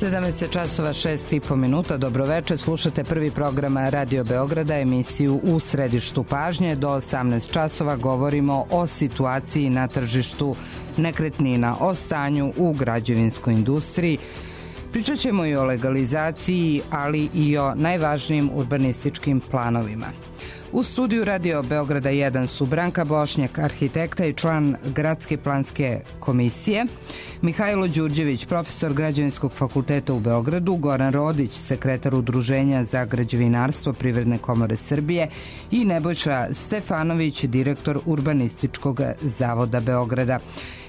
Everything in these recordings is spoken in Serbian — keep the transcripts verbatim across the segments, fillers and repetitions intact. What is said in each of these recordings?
sedamnaest časova šest i po minuta, dobroveče, slušate prvi program Radio Beograda, emisiju U središtu pažnje. Do osamnaest časova govorimo o situaciji na tržištu nekretnina, o stanju u građevinskoj industriji. Pričat ćemo i o legalizaciji, ali i o najvažnijim urbanističkim planovima. U studiju Radio Beograda jedan su Branka Bošnjak, arhitekta i član Gradske planske komisije, Mihajlo Đurđević, profesor Građevinskog fakulteta u Beogradu, Goran Rodić, sekretar Udruženja za građevinarstvo Privredne komore Srbije i Nebojša Stefanović, direktor Urbanističkog zavoda Beograda.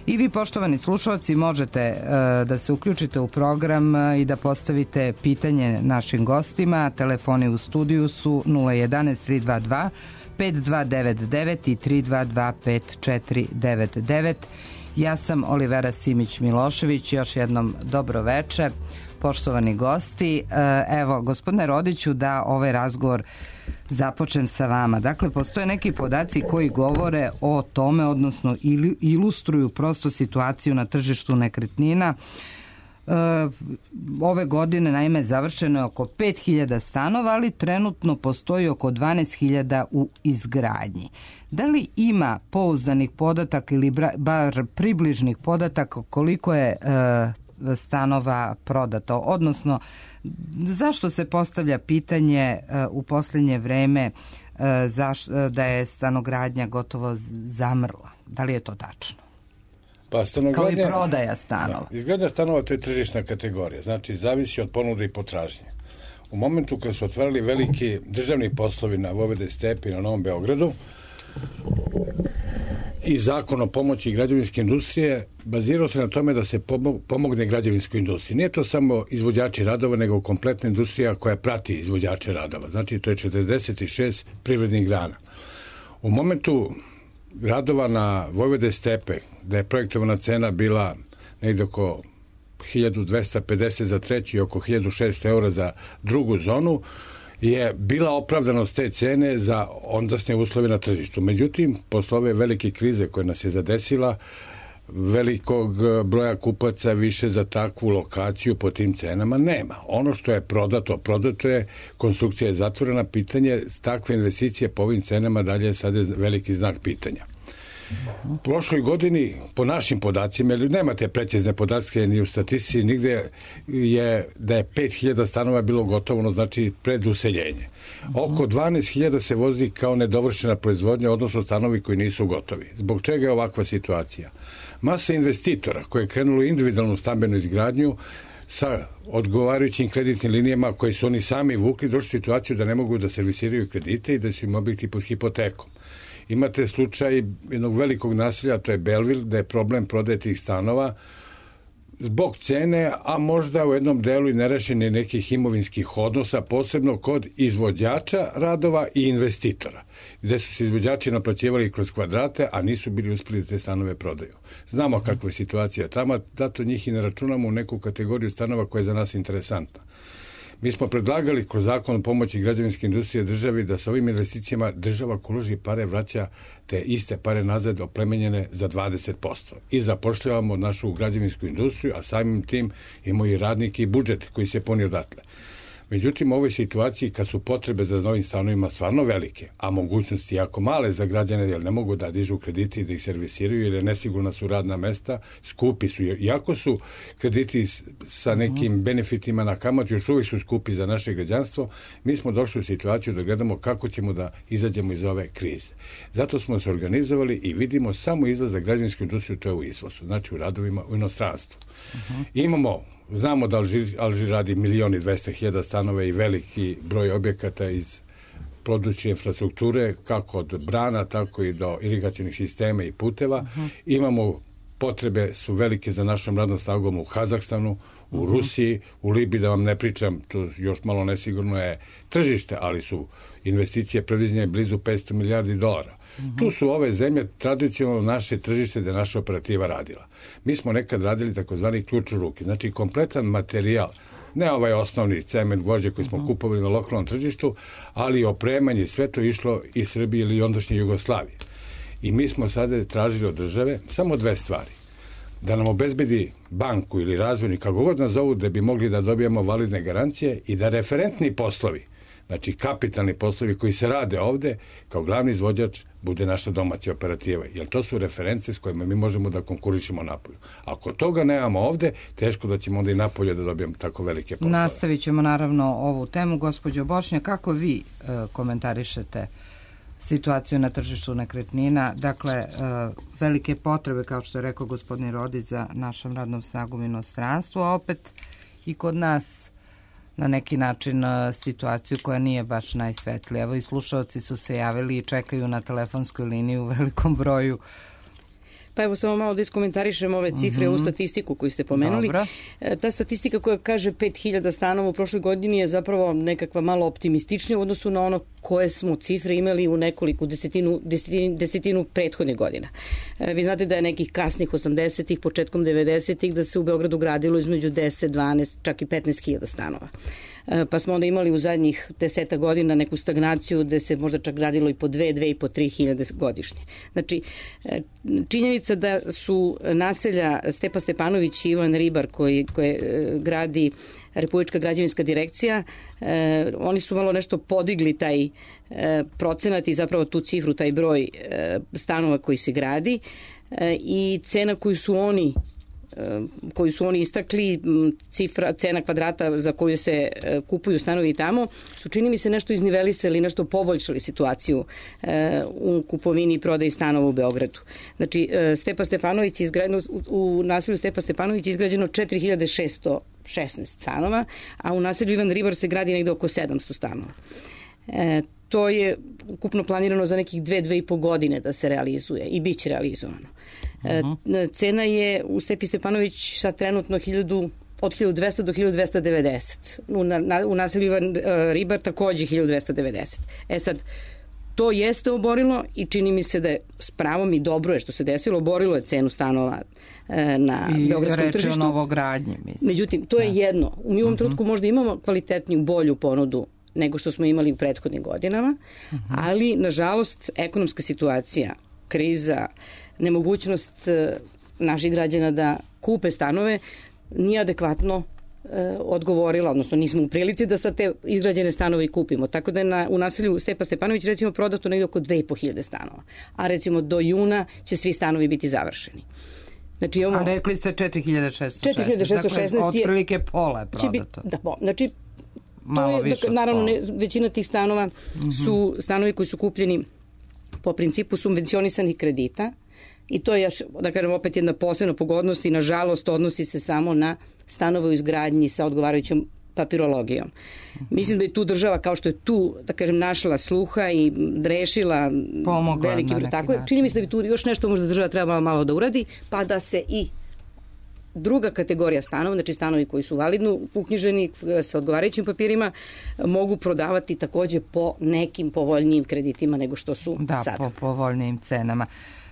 I vi, poštovani slušalci, možete uh, da se uključite u program uh, i da postavite pitanje našim gostima. Telefoni u studiju su nula jedan tri dva dva pet dva devet devet i tri dva dva pet četiri devet devet. Ja sam Olivera Simić-Milošević, još jednom dobro veče, poštovani gosti. Uh, evo, gospodine Rodiću, da ovaj razgovor započnem sa vama. Dakle, postoje neki podaci koji govore o tome, odnosno ilustruju prosto situaciju na tržištu nekretnina. E, ove godine, naime, završeno je oko pet hiljada stanova, ali trenutno postoji oko dvanaest hiljada u izgradnji. Da li ima pouzdanih podataka ili bar približnih podataka koliko je e, stanova prodato, odnosno zašto se postavlja pitanje uh, u posljednje vreme uh, zaš, uh, da je stanogradnja gotovo zamrla? Da li je to tačno? Pa stanogradnja, kao i prodaja stanova. Da, izgradnja stanova, to je tržišna kategorija, znači zavisi od ponude i potražnje. U momentu kad su otvarali veliki državni poslovi na Vojvode Stepi na Novom Beogradu i zakon o pomoći građevinske industrije bazirao se na tome da se pomogne građevinskoj industriji. Nije to samo izvođači radova, nego kompletna industrija koja prati izvođače radova. Znači, to je četrdeset šest privrednih grana. U momentu radova na Vojvode Stepe, da je projektovana cena bila negde oko hiljadu dvesta pedeset za treći i oko hiljadu šesto eura za drugu zonu, je bila opravdanost te cene za ondasne uslove na tržištu. Međutim, posle ove velike krize koja nas je zadesila, velikog broja kupaca više za takvu lokaciju po tim cenama nema. Ono što je prodato, prodato je, konstrukcija je zatvorena, pitanje takve investicije po ovim cenama dalje je sada veliki znak pitanja. U prošloj godini, po našim podacima, ili nemate precizne podatke ni u statistici, nigde je da je pet hiljada stanova bilo gotovo, znači pred useljenje. Oko dvanaest hiljada se vozi kao nedovršena proizvodnja, odnosno stanovi koji nisu gotovi. Zbog čega je ovakva situacija? Masa investitora koje je krenulo individualnu stambenu izgradnju sa odgovarajućim kreditnim linijama koje su oni sami vukli, došli u situaciju da ne mogu da servisiraju kredite i da su im objekti pod hipotekom. Imate slučaj jednog velikog naselja, to je Belville, da je problem prodaje tih stanova zbog cene, a možda u jednom delu i nerešeni nekih imovinskih odnosa, posebno kod izvođača radova i investitora, gde su se izvođači naplaćivali kroz kvadrate, a nisu bili uspeli da te stanove prodaju. Znamo kakva je situacija tamo, zato njih i ne računamo u neku kategoriju stanova koja je za nas interesantna. Mi smo predlagali kroz zakon o pomoći građevinske industrije državi da sa ovim investicijama država ko uloži pare vraća te iste pare nazad oplemenjene za dvadeset posto. I zapošljavamo našu građevinsku industriju, a samim tim imamo i radnike i budžet koji se puni odatle. Međutim, u ovoj situaciji kad su potrebe za novim stanovima stvarno velike, a mogućnosti jako male za građane, jer ne mogu da dižu krediti i da ih servisiraju, jer je nesigurna su radna mesta, skupi su. Iako su krediti sa nekim benefitima na kamatu, još uvijek su skupi za naše građanstvo, mi smo došli u situaciju da gledamo kako ćemo da izađemo iz ove krize. Zato smo se organizovali i vidimo samo izlaz za građevinsku industriju, to je u izvozu, znači u radovima u inostranstvu. Uh-huh. Imamo Znamo da Alžir, Alžir radi milion i dvesta hiljada stanove i veliki broj objekata iz područja infrastrukture, kako od brana, tako i do irigacionih sistema i puteva. Uh-huh. Imamo potrebe su velike za našom radnom snagom u Kazahstanu, u uh-huh. Rusiji, u Libiji, da vam ne pričam, to još malo nesigurno je tržište, ali su investicije predviđene blizu petsto milijardi dolara. Uh-huh. Tu su ove zemlje tradicionalno naše tržište gde naša operativa radila. Mi smo nekad radili takozvani ključ u ruke, znači kompletan materijal, ne ovaj osnovni cement, gvožđe koji smo uh-huh. kupovali na lokalnom tržištu, ali opremanje, sve to išlo iz Srbije ili ondašnje Jugoslavije. I mi smo sada tražili od države samo dve stvari. da nam obezbedi banku ili razvojni, kako god nas zovu, da bi mogli da dobijemo validne garancije i da referentni poslovi, znači kapitalni poslovi koji se rade ovde, kao glavni izvođač bude naša domaća operativa. Jer to su reference s kojima mi možemo da konkurišemo napolju. Ako toga nemamo ovde, teško da ćemo onda i napolje da dobijemo tako velike poslove. Nastavit ćemo naravno ovu temu. Gospođo Bošnja, kako vi e, komentarišete situaciju na tržištu nekretnina? Dakle, e, velike potrebe, kao što je rekao gospodin Rodić, za našom radnom snagom inostranstvu, a opet i kod nas na neki način situaciju koja nije baš najsvetlija. Evo i slušalci su se javili i čekaju na telefonskoj liniji u velikom broju. Pa evo samo malo da iskomentarišem ove cifre mm-hmm. u statistiku koju ste pomenuli. Dobro. Ta statistika koja kaže pet hiljada stanova u prošloj godini je zapravo nekakva malo optimističnija u odnosu na ono koje smo cifre imali u nekoliko desetinu, desetinu, desetinu prethodnih godina. Vi znate da je nekih kasnih osamdesetih, početkom devedesetih da se u Beogradu gradilo između deset, dvanaest, čak i petnaest hiljada stanova. Pa smo onda imali u zadnjih deseta godina neku stagnaciju gde se možda čak gradilo i po dve, dve i po tri hiljade godišnje. Znači, činjenica da su naselja Stepa Stepanović i Ivan Ribar koji, koje gradi Republička građevinska direkcija, eh, oni su malo nešto podigli taj eh, procenat i zapravo tu cifru, taj broj eh, stanova koji se gradi eh, i cena koju su oni koju su oni istakli, cifra, cena kvadrata za koju se kupuju stanovi tamo, su čini mi se nešto iznivelisali, nešto poboljšali situaciju u kupovini i prodaji stanova u Beogradu. Znači, Stepa Stepanović je izgrađeno, u naselju Stepa Stepanović je izgrađeno četiri hiljade šesto šesnaest stanova, a u naselju Ivan Ribar se gradi negde oko sedamsto stanova. E, to je ukupno planirano za nekih dve, dve i po godine da se realizuje i bit će realizovano. E, cena je u Stepi Stepanović sad trenutno hiljadu, od hiljadu dvesta do hiljadu dvesta devedeset. U, na, u naselju Ivan Ribar takođe hiljadu dvesta devedeset. E sad, to jeste oborilo i čini mi se da je s pravom i dobro je što se desilo, oborilo je cenu stanova e, na I beogradskom tržištu. I reče o novogradnji, mislim. Međutim, to je ja. jedno. U ovom uh-huh. trenutku možda imamo kvalitetniju, bolju ponudu nego što smo imali u prethodnim godinama, uh-huh. ali, nažalost, ekonomska situacija, kriza, nemogućnost e, naših građana da kupe stanove nije adekvatno e, odgovorila, odnosno nismo u prilici da sad te izgrađene stanove i kupimo. Tako da je na, u naselju Stepa Stepanović recimo prodato negdje oko dve i po hiljade stanova, a recimo do juna će svi stanovi biti završeni. Znači, imamo, a rekli ste četiri hiljade šesto šesnaest, dakle otprilike pola je prodato. Biti, da, po, znači, to je, dakle, naravno, ne, većina tih stanova mm-hmm. su stanovi koji su kupljeni po principu subvencionisanih kredita i to je, da kažem, opet jedna posebna pogodnost i nažalost odnosi se samo na stanove u izgradnji sa odgovarajućom papirologijom. Mm-hmm. Mislim da je tu država, kao što je tu, da kažem, našla sluha i rešila pomogla veliki broj. Tako je, čini mi se da bi tu još nešto možda država trebala malo da uradi, pa da se i druga kategorija stanova, znači stanovi koji su validno uknjiženi sa odgovarajućim papirima, mogu prodavati takođe po nekim povoljnijim kreditima nego što su da, sada. Da, po povoljnijim cenama.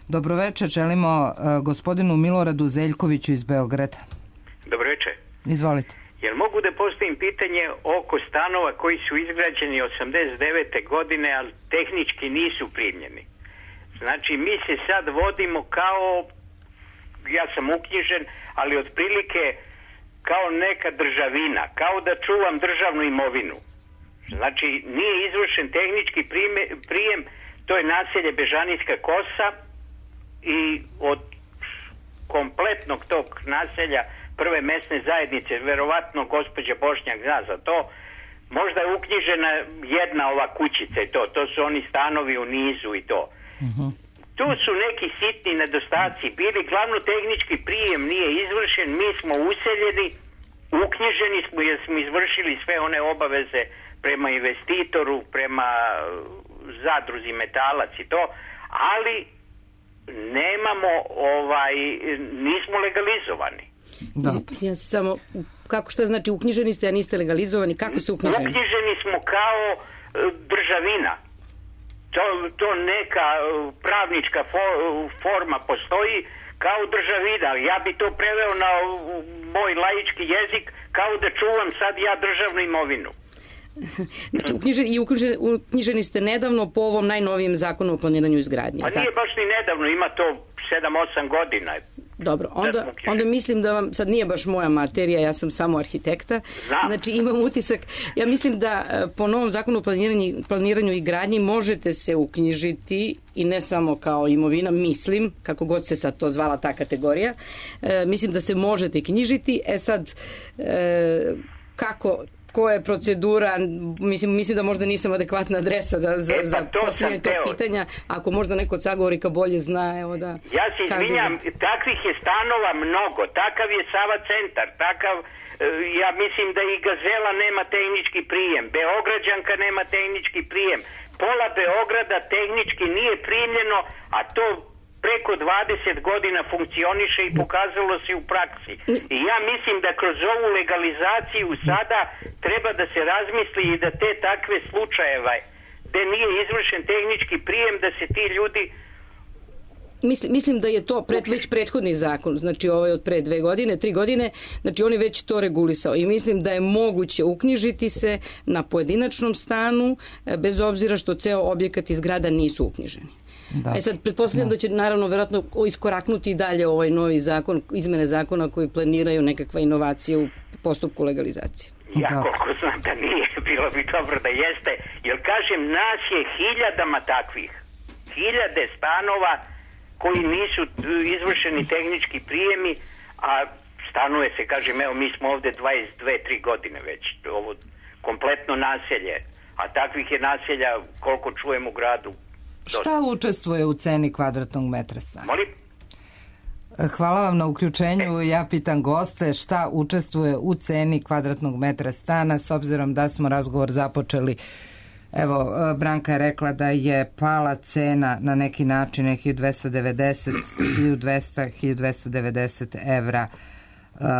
Dobroveče, želimo uh, gospodinu Miloradu Zeljkoviću iz Beograda. Dobroveče. Izvolite. Jel mogu da postavim pitanje oko stanova koji su izgrađeni osamdeset devete godine, ali tehnički nisu primljeni? Znači, mi se sad vodimo kao, ja sam uknjižen, ali otprilike kao neka državina, kao da čuvam državnu imovinu. Znači, nije izvršen tehnički prijem, to je naselje Bežanijska kosa i od kompletnog tog naselja prve mesne zajednice, verovatno gospođa Bošnjak zna za to, možda je uknjižena jedna ova kućica i to, to su oni stanovi u nizu i to. Uh-huh. Tu su neki sitni nedostaci bili, glavno tehnički prijem nije izvršen, mi smo useljeni, uknjiženi smo jer smo izvršili sve one obaveze prema investitoru, prema zadruzi Metalac i to, ali nemamo, ovaj, nismo legalizovani. Da. Ja samo, kako, šta znači uknjiženi ste, a niste legalizovani? Kako ste uknjiženi? Uknjiženi smo kao državina. To, to neka pravnička forma postoji kao državina. Ja bi to preveo na moj laički jezik kao da čuvam sad ja državnu imovinu. Znači, uknjiženi, i uknjiženi, uknjiženi ste nedavno po ovom najnovijem zakonu o planiranju izgradnje. Pa nije baš ni nedavno, ima to sedam osam godina. Dobro, onda, onda mislim da vam, sad nije baš moja materija, ja sam samo arhitekta, Znam. Znači imam utisak, ja mislim da po novom zakonu o planiranju, planiranju i gradnji možete se uknjižiti i ne samo kao imovina, mislim, kako god se sad to zvala ta kategorija, e, mislim da se možete knjižiti, e sad, e, kako... koja je procedura, mislim, mislim da možda nisam adekvatna adresa da, za, e, pa za postavljanje tog pitanja, ako možda neko od sagovornika bolje zna, evo da... Ja se izvinjam, takvih je stanova mnogo, takav je Sava centar, takav, ja mislim da i Gazela nema tehnički prijem, Beograđanka nema tehnički prijem, pola Beograda tehnički nije primljeno, a to preko dvadeset godina funkcioniše i pokazalo se u praksi. I ja mislim da kroz ovu legalizaciju sada treba da se razmisli i da te takve slučajeve gde nije izvršen tehnički prijem, da se ti ljudi... Mislim, mislim da je to pred, već prethodni zakon, znači ovaj od pre dve godine, tri godine, znači on je već to regulisao i mislim da je moguće uknjižiti se na pojedinačnom stanu, bez obzira što ceo objekat i zgrada nisu uknjiženi. Da. E sad, pretpostavljam da. da će naravno verovatno iskoraknuti i dalje ovaj novi zakon, izmene zakona koji planiraju nekakva inovacija u postupku legalizacije. Ja da. koliko znam da nije, bilo bi dobro da jeste, jer kažem, nas je hiljadama takvih, hiljade stanova koji nisu izvršeni tehnički prijemi, a stanuje se, kažem, evo mi smo ovde dvadeset dve tri godine već, ovo kompletno naselje, a takvih je naselja koliko čujem u gradu. Šta učestvuje u ceni kvadratnog metra stana? Molim? Hvala vam na uključenju. Ja pitam goste šta učestvuje u ceni kvadratnog metra stana, s obzirom da smo razgovor započeli. Evo, Branka je rekla da je pala cena na neki način hiljadu dvesta devedeset, hiljadu dvesta, hiljadu dvesta devedeset evra.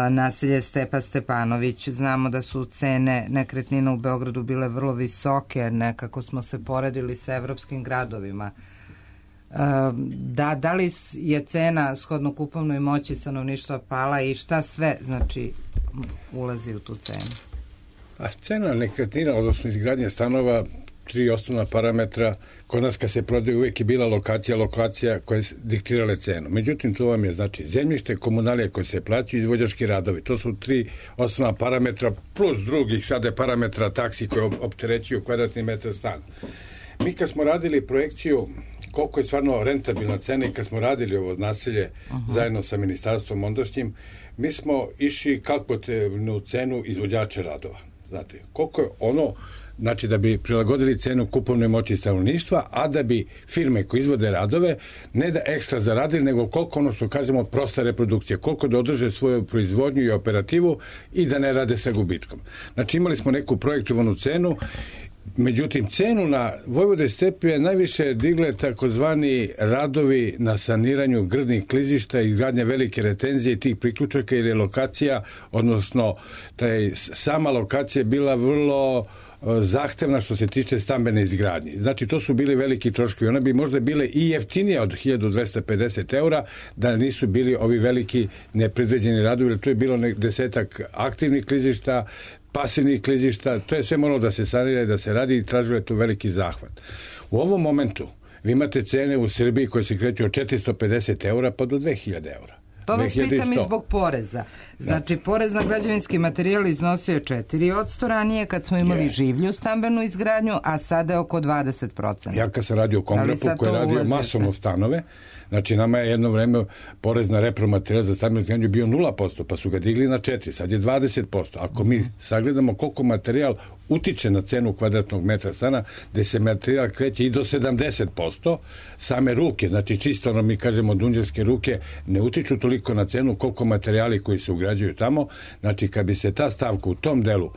Naselje Stepa Stepanović. Znamo da su cene nekretnina u Beogradu bile vrlo visoke, nekako smo se poredili sa evropskim gradovima. Da, da li je cena shodno kupovnoj moći stanovništva pala i šta sve znači ulazi u tu cenu? A cena nekretnina, odnosno izgradnje stanova, tri osnovna parametra, kod nas kad se prodaje uvijek je bila lokacija, lokacija koje diktirale cenu. Međutim, to vam je znači zemljište, komunalije koje se plaćaju, izvođački radovi. To su tri osnovna parametra plus drugih sada parametra taksi koje opterećuju kvadratni metar stana. Mi kad smo radili projekciju koliko je stvarno rentabilna cena i kad smo radili ovo naselje uh-huh. zajedno sa ministarstvom ondašnjim, mi smo išli kalkulativnu cenu izvođača radova. Znate, koliko je ono, znači da bi prilagodili cenu kupovne moći stanovništva, a da bi firme koje izvode radove ne da ekstra zaradili, nego koliko ono što kažemo prosta reprodukcija, koliko da održe svoju proizvodnju i operativu i da ne rade sa gubitkom. Znači imali smo neku projektovanu cenu. Međutim, cenu na Vojvode Stepi je najviše digle takozvani radovi na saniranju grdnih klizišta i izgradnje velike retenzije i tih priključaka, jer je lokacija, odnosno taj, sama lokacija je bila vrlo zahtevna što se tiče stambene izgradnje. Znači, to su bili veliki troškovi. One bi možda bile i jeftinije od hiljadu dvesta pedeset eura da nisu bili ovi veliki nepredviđeni radovi, jer tu je bilo desetak aktivnih klizišta, pasivnih klizišta, to je sve moralo da se sanira i da se radi i tražilo je tu veliki zahvat. U ovom momentu vi imate cene u Srbiji koje se kreću od četiristo pedeset eura pa do dve hiljade eura. To vas pitam i zbog poreza. Znači, da. Porez na građevinski materijal iznosio je četiri posto ranije kad smo imali je. življu stambenu izgradnju, a sada je oko dvadeset posto. Ja kad sam radio u Kongrepu koji je radio masovno stanove, znači nama je jedno vreme porez na repromaterijal za stambenu izgradnju bio nula posto, pa su ga digli na četiri, sad je dvadeset posto. Ako mi sagledamo koliko materijal utiče na cenu kvadratnog metra stana, gde se materijal kreće i do sedamdeset posto, same ruke, znači čisto ono mi kažemo dunđerske ruke, ne utiču toliko na cenu koliko materijali koji se ugrađuju tamo. Znači kad bi se ta stavka u tom delu,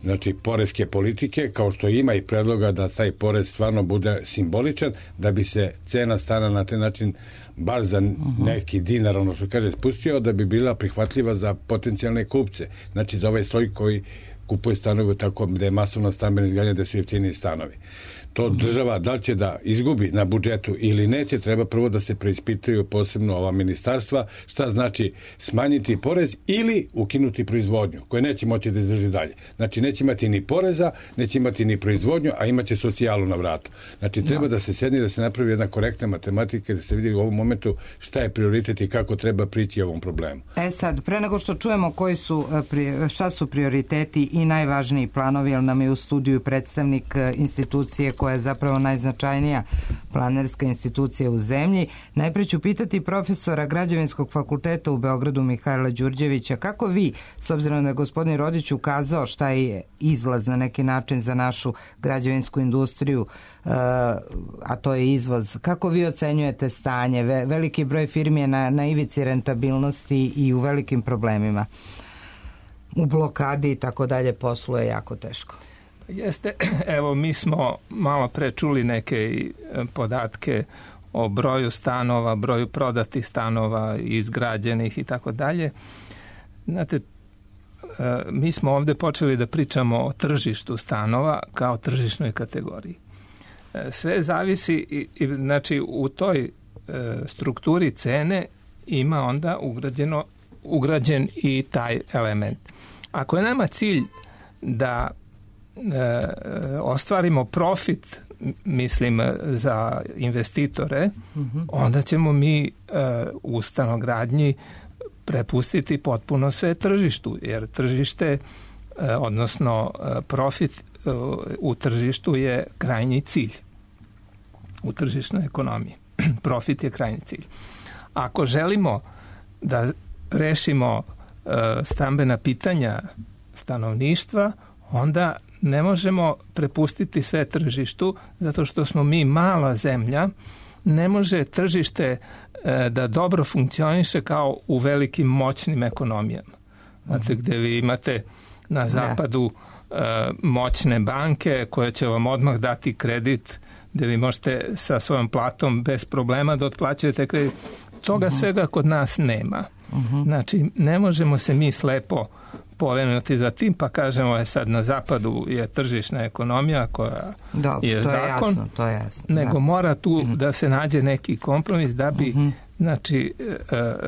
znači poreske politike, kao što ima i predloga da taj porez stvarno bude simboličan, da bi se cena stana na taj način bar za neki dinar, ono što kaže, spustio, da bi bila prihvatljiva za potencijalne kupce. Znači za ovaj sloj koji kupuje stanove tako da je masovna stambena izgradnja, da su jeftiniji stanovi. To država da li će da izgubi na budžetu ili neće, treba prvo da se preispitaju posebno ova ministarstva šta znači smanjiti porez ili ukinuti proizvodnju koje neće moći da izdrži dalje. Znači neće imati ni poreza, neće imati ni proizvodnju, a imaće socijalu na vratu. Znači treba da se sedne, da se napravi jedna korektna matematika, da se vidi u ovom momentu šta je prioritet i kako treba prići ovom problemu. E sad, pre nego što čujemo koji su, šta su prioriteti i najvažniji planovi, jer nam je u studiju predstavnik institucije koja je zapravo najznačajnija planerska institucija u zemlji, najpre ću pitati profesora Građevinskog fakulteta u Beogradu Mihajla Đurđevića, kako vi, s obzirom da je gospodin Rodić ukazao šta je izlaz na neki način za našu građevinsku industriju, a to je izvoz, kako vi ocenjujete stanje? Veliki broj firmi je na, na ivici rentabilnosti i u velikim problemima. U blokadi i tako dalje posluje jako teško. Jeste, evo mi smo malo pre čuli neke podatke o broju stanova, broju prodatih stanova, izgrađenih i tako dalje. Znate, mi smo ovde počeli da pričamo o tržištu stanova kao tržišnoj kategoriji. Sve zavisi, znači u toj strukturi cene ima onda ugrađeno, ugrađen i taj element. Ako je nama cilj da e, ostvarimo profit, mislim, za investitore, mm-hmm. onda ćemo mi e, u stanogradnji prepustiti potpuno sve tržištu, jer tržište, e, odnosno e, profit e, u tržištu je krajnji cilj. U tržišnoj ekonomiji. Profit je krajnji cilj. Ako želimo da rešimo e, stambena pitanja stanovništva, onda ne možemo prepustiti sve tržištu, zato što smo mi mala zemlja, ne može tržište e, da dobro funkcioniše kao u velikim moćnim ekonomijama. Znate, gde vi imate na zapadu e, moćne banke koje će vam odmah dati kredit, gde vi možete sa svojom platom bez problema da otplaćujete kredit. Toga uh-huh. svega kod nas nema. Uh-huh. Znači, ne možemo se mi slepo povenuti za tim, pa kažemo je sad na zapadu je tržišna ekonomija koja Dobro, je to zakon, je jasno, to je jasno, nego da. mora tu uh-huh. da se nađe neki kompromis da bi uh-huh. znači,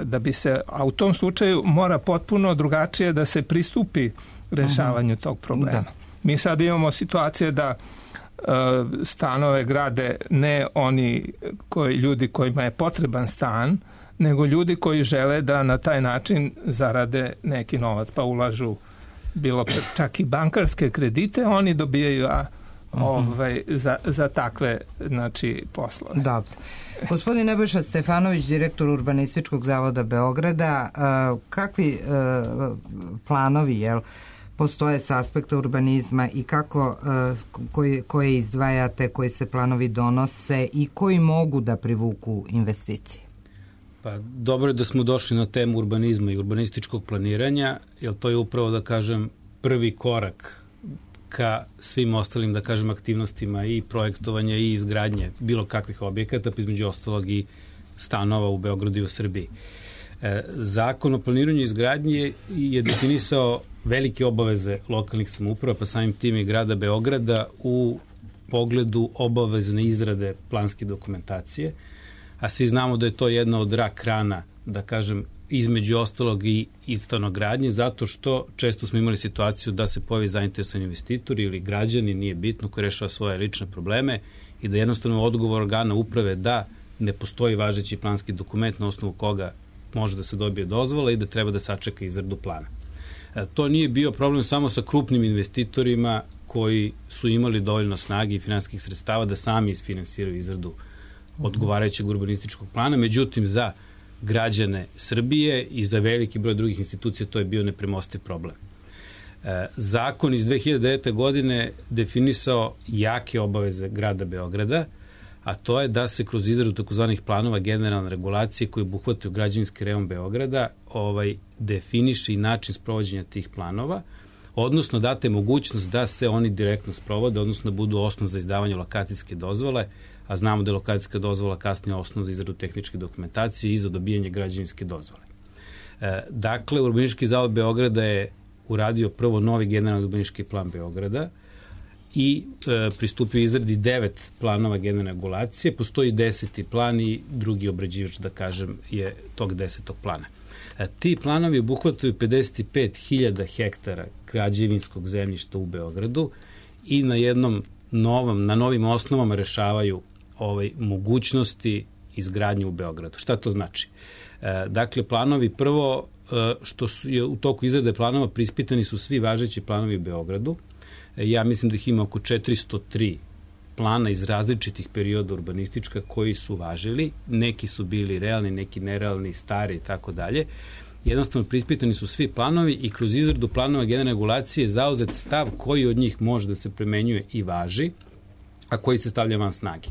da bi se, a u tom slučaju mora potpuno drugačije da se pristupi rešavanju uh-huh. tog problema. Da. Mi sad imamo situacije da stanove grade ne oni koji, ljudi kojima je potreban stan, nego ljudi koji žele da na taj način zarade neki novac, pa ulažu bilo čak i bankarske kredite, oni dobijaju a, ovaj, za, za takve znači, poslove. Dobro. Gospodin Nebojša Stefanović, direktor Urbanističkog zavoda Beograda, kakvi planovi, jel, postoje s aspekta urbanizma i kako, koji, koje izdvajate, koji se planovi donose i koji mogu da privuku investicije? Pa dobro je da smo došli na temu urbanizma i urbanističkog planiranja, jer to je upravo, da kažem, prvi korak ka svim ostalim, da kažem, aktivnostima i projektovanja i izgradnje bilo kakvih objekata, pa između ostalog i stanova u Beogradu i u Srbiji. Zakon o planiranju i izgradnji je definisao velike obaveze lokalnih samouprava, pa samim tim i grada Beograda u pogledu obavezne izrade planske dokumentacije, a svi znamo da je to jedna od rak rana, da kažem, između ostalog i stanogradnje, zato što često smo imali situaciju da se pojavi zainteresovani investitori ili građani, nije bitno, koji rešava svoje lične probleme i da jednostavno odgovor organa uprave da ne postoji važeći planski dokument na osnovu koga može da se dobije dozvola i da treba da sačeka izradu plana. E, to nije bio problem samo sa krupnim investitorima koji su imali dovoljno snage i finansijskih sredstava da sami isfinansiraju izradu odgovarajućeg urbanističkog plana, međutim za građane Srbije i za veliki broj drugih institucija to je bio nepremostiv problem. E, zakon iz dve hiljade devete. godine definisao jake obaveze grada Beograda, a to je da se kroz izradu takozvanih planova generalne regulacije koji obuhvataju građevinski rejon Beograda ovaj, definiše i način sprovođenja tih planova, odnosno date mogućnost da se oni direktno sprovode, odnosno da budu osnov za izdavanje lokacijske dozvole, a znamo da je lokacijska dozvola kasnije osnov za izradu tehničke dokumentacije i za dobijanje građevinske dozvole. E, dakle, Urbanistički zavod Beograda je uradio prvo novi generalni urbanistički plan Beograda i e, pristupio izradi devet planova generalne regulacije. Postoji deseti plan i drugi obrađivač, da kažem, je tog desetog plana. E, ti planovi obuhvataju pedeset pet hiljada hektara građevinskog zemljišta u Beogradu i na jednom novom, na novim osnovama rešavaju ovaj, mogućnosti izgradnje u Beogradu. Šta to znači? E, dakle, planovi prvo, e, što su je u toku izrade planova prispitani su svi važeći planovi u Beogradu. E, ja mislim da ih ima oko četiristo tri plana iz različitih perioda urbanistička koji su važili. Neki su bili realni, neki nerealni, stari i tako dalje. Jednostavno prispitani su svi planovi i kroz izradu planova generalne regulacije zauzet stav koji od njih može da se primenjuje i važi, a koji se stavlja van snage.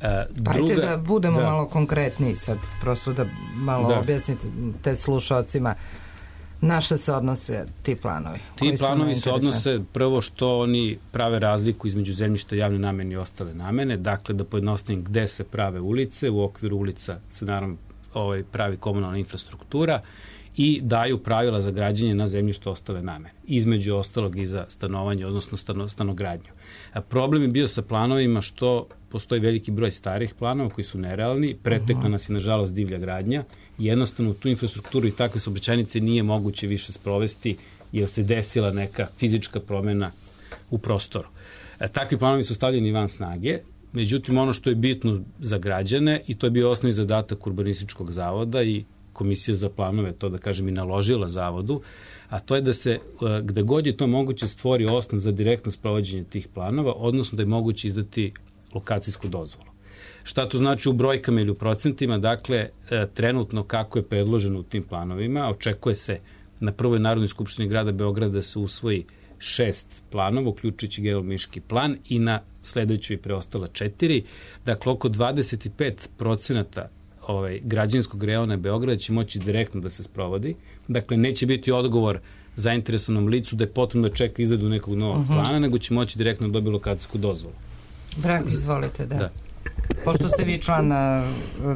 E, druga, Ajde da budemo da, malo konkretniji sad, prosto da malo da. objasnite slušalcima na šta se odnose ti planovi. Ti planovi se odnose prvo što oni prave razliku između zemljišta javne namene i ostale namene, dakle da pojednostavim gde se prave ulice, u okviru ulica se naravno ovaj, pravi komunalna infrastruktura i daju pravila za građenje na zemljištu ostale namene, između ostalog i za stanovanje, odnosno stano, stanogradnju. A problem je bio sa planovima što postoji veliki broj starih planova koji su nerealni, pretekla nas je nažalost divlja gradnja i jednostavno tu infrastrukturu i takve saobraćajnice nije moguće više sprovesti jer se desila neka fizička promena u prostoru. E, takvi planovi su stavljeni van snage, međutim ono što je bitno za građane i to je bio osnovni zadatak Urbanističkog zavoda i Komisija za planove, to da kažem i naložila zavodu, a to je da se, gde god je to moguće, stvori osnov za direktno sprovođenje tih planova, odnosno da je moguće izdati lokacijsku dozvolu. Šta to znači u brojkama ili u procentima? Dakle, trenutno kako je predloženo u tim planovima, očekuje se na prvoj Narodnoj skupštini grada Beograda da se usvoji šest planova, uključujući generalno-urbanistički plan i na sledećoj preostala četiri. Dakle, oko dvadeset pet procenata ovaj, građevinskog reona Beograda će moći direktno da se sprovodi. Dakle, neće biti odgovor zainteresovanom licu da je potrebno da čeka izradu nekog novog uh-huh. plana, nego će moći direktno da dobije lokacijsku dozvolu. Brak, izvolite, da. da. Pošto ste vi član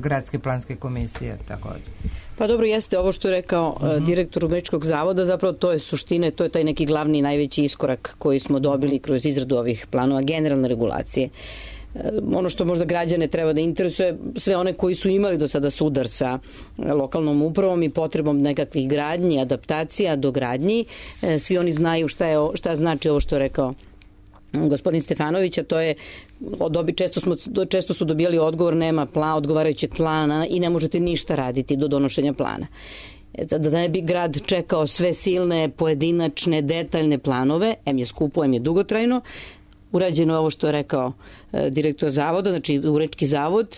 Gradske planske komisije, takođe. Pa dobro, jeste ovo što je rekao uh-huh. direktor Urbanističkog zavoda, zapravo to je suština, to je taj neki glavni i najveći iskorak koji smo dobili kroz izradu ovih planova generalne regulacije. Ono što možda građane treba da interesuje, sve one koji su imali do sada sudar sa lokalnom upravom i potrebom nekakvih gradnji, adaptacija, dogradnji, svi oni znaju šta, je, šta znači ovo što je rekao gospodin Stefanović, a to je dobi, često, smo, često su dobijali odgovor nema plan, odgovarajućeg plana i ne možete ništa raditi do donošenja plana. Da ne bi grad čekao sve silne, pojedinačne, detaljne planove, em je skupo, em je dugotrajno, urađeno je ovo što je rekao e, direktor zavoda, znači Uredski zavod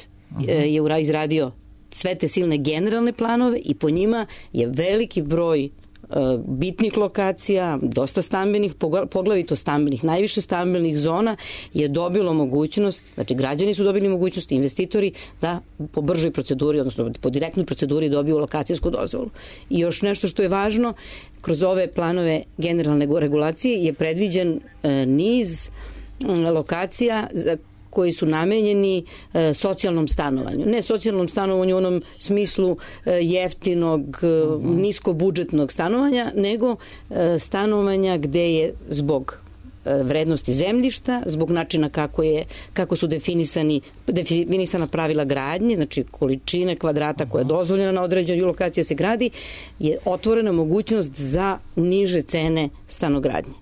e, je izradio sve te silne generalne planove i po njima je veliki broj e, bitnih lokacija, dosta stambenih, poglavito stambenih, najviše stambenih zona je dobilo mogućnost, znači građani su dobili mogućnost, investitori da po bržoj proceduri, odnosno po direktnoj proceduri dobiju lokacijsku dozvolu. I još nešto što je važno, kroz ove planove generalne regulacije je predviđen e, niz lokacija koji su namenjeni e, socijalnom stanovanju. Ne socijalnom stanovanju u onom smislu e, jeftinog, e, uh-huh. niskobudžetnog stanovanja, nego e, stanovanja gde je zbog e, vrednosti zemljišta, zbog načina kako, je, kako su definisani, definisana pravila gradnje, znači količine kvadrata koja je dozvoljena na određenoj lokaciji se gradi, je otvorena mogućnost za niže cene stanogradnje.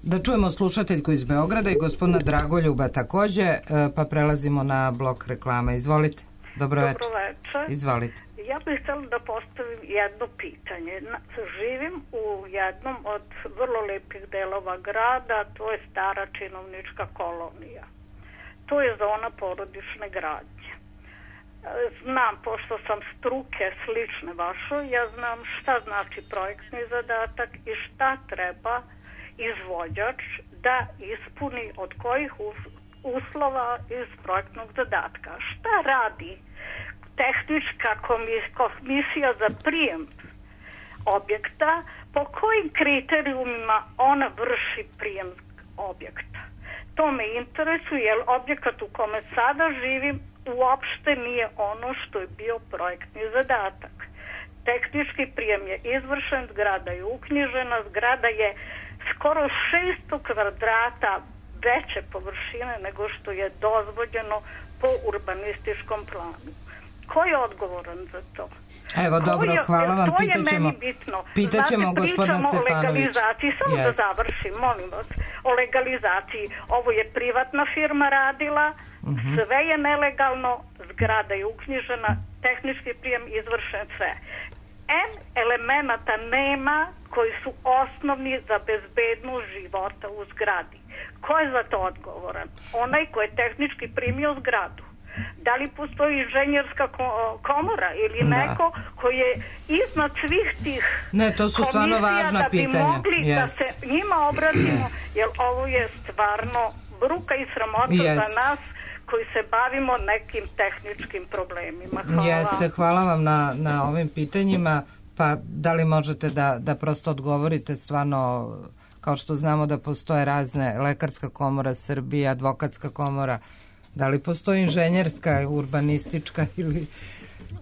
Da čujemo slušateljku iz Beograda i gospodina Dragoljuba takođe, pa prelazimo na blok reklama. Izvolite. Dobro večer. Dobro večer. Izvolite. Ja bih htjela da postavim jedno pitanje. Živim u jednom od vrlo lepih delova grada, to je stara činovnička kolonija. To je zona porodične gradnje. Znam, pošto sam struke slične vašoj, ja znam šta znači projektni zadatak i šta treba izvođač da ispuni od kojih uslova iz projektnog zadatka. Šta radi tehnička komisija za prijem objekta, po kojim kriterijumima ona vrši prijem objekta? To me interesuje, jer objekat u kome sada živim uopšte nije ono što je bio projektni zadatak. Tehnički prijem je izvršen, zgrada je uknjižena, zgrada je skoro šesto kvadrata veće površine nego što je dozvoljeno po urbanističkom planu. Ko je odgovoran za to? Evo, dobro, je, hvala vam, pitaćemo, pitaćemo Znate, gospodina Stefanović. Pričamo o legalizaciji, samo yes. da završim, molim vas, o legalizaciji. Ovo je privatna firma radila, uh-huh. sve je nelegalno, zgrada je uknjižena, tehnički prijem izvršen, sve. N elemenata nema koji su osnovni za bezbednost života u zgradi. Ko je za to odgovoran? Onaj ko je tehnički primio zgradu. Da li postoji inženjerska komora ili da. neko koji je iznad svih tih ne, to su stvarno važna da bi pitanja. mogli yes. da se njima obratimo, yes. jer ovo je stvarno bruka i sramota yes. za nas koji se bavimo nekim tehničkim problemima. Hvala. Jeste, hvala vam na, na ovim pitanjima. Pa da li možete da, da prosto odgovorite stvarno, kao što znamo da postoje razne, Lekarska komora Srbije, Advokatska komora, da li postoji inženjerska, urbanistička ili...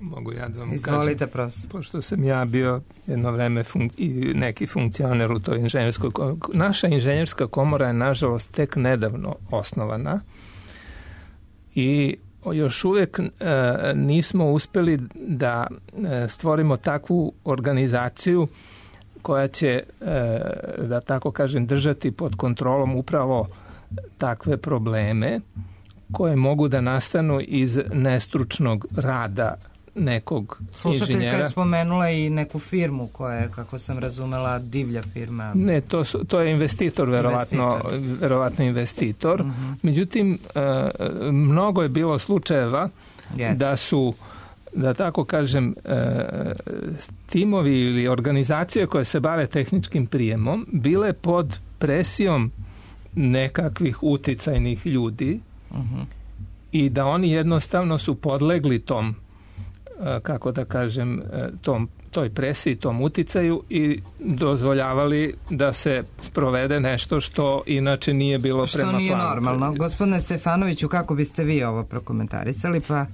Mogu ja da vam Izvolite, kažem, profesor. Pošto sam ja bio jedno vreme fun- i neki funkcioner u toj inženjerskoj komori. Naša inženjerska komora je nažalost tek nedavno osnovana i još uvijek e, nismo uspeli da e, stvorimo takvu organizaciju koja će, e, da tako kažem, držati pod kontrolom upravo takve probleme koje mogu da nastanu iz nestručnog rada nekog Slušateljka inženjera. je spomenula i neku firmu koja je, kako sam razumela, divlja firma. Ne, to, su, to je investitor, verovatno investitor. Verovatno investitor. Uh-huh. Međutim, e, mnogo je bilo slučajeva yes. da su, da tako kažem, e, timovi ili organizacije koje se bave tehničkim prijemom bile pod presijom nekakvih uticajnih ljudi uh-huh. i da oni jednostavno su podlegli tom, kako da kažem, tom, toj presiji, tom uticaju i dozvoljavali da se sprovede nešto što inače nije bilo što prema planu. Što nije normalno. Gospodine Stefanoviću, kako biste vi ovo prokomentarisali? Pa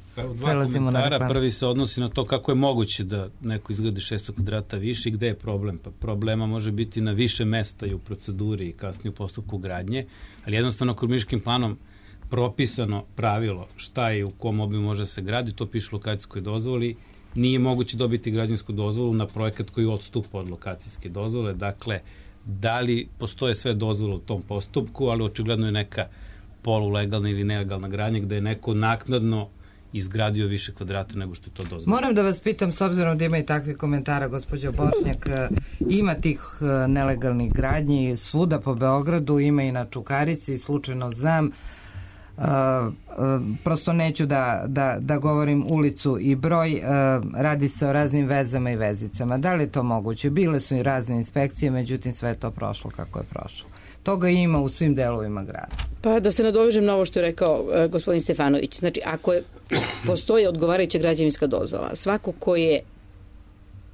prelazimo na reklam. Prvi se odnosi na to kako je moguće da neko izgradi šesto kvadrata više i gde je problem. Pa problema može biti na više mesta i u proceduri i kasnije u postupku gradnje, ali jednostavno urbanističkim planom propisano pravilo šta je u kom obimu može se gradi, to piše u lokacijskoj dozvoli, nije moguće dobiti građevinsku dozvolu na projekat koji odstupa od lokacijske dozvole, dakle, da li postoje sve dozvole u tom postupku, ali očigledno je neka polulegalna ili nelegalna gradnja gde je neko naknadno izgradio više kvadrata nego što je to dozvoljeno. Moram da vas pitam, s obzirom da ima i takvih komentara, gospođo Bošnjak, ima tih nelegalnih gradnji svuda po Beogradu, ima i na Čukarici, slučajno znam, Uh, uh, prosto neću da, da, da govorim ulicu i broj, uh, radi se o raznim vezama i vezicama. Da li je to moguće? Bile su i razne inspekcije, međutim sve je to prošlo kako je prošlo. Toga ima u svim delovima grada. Pa da se nadovežem na ovo što je rekao uh, gospodin Stefanović. Znači, ako je, postoji odgovarajuća građevinska dozvola, svako ko je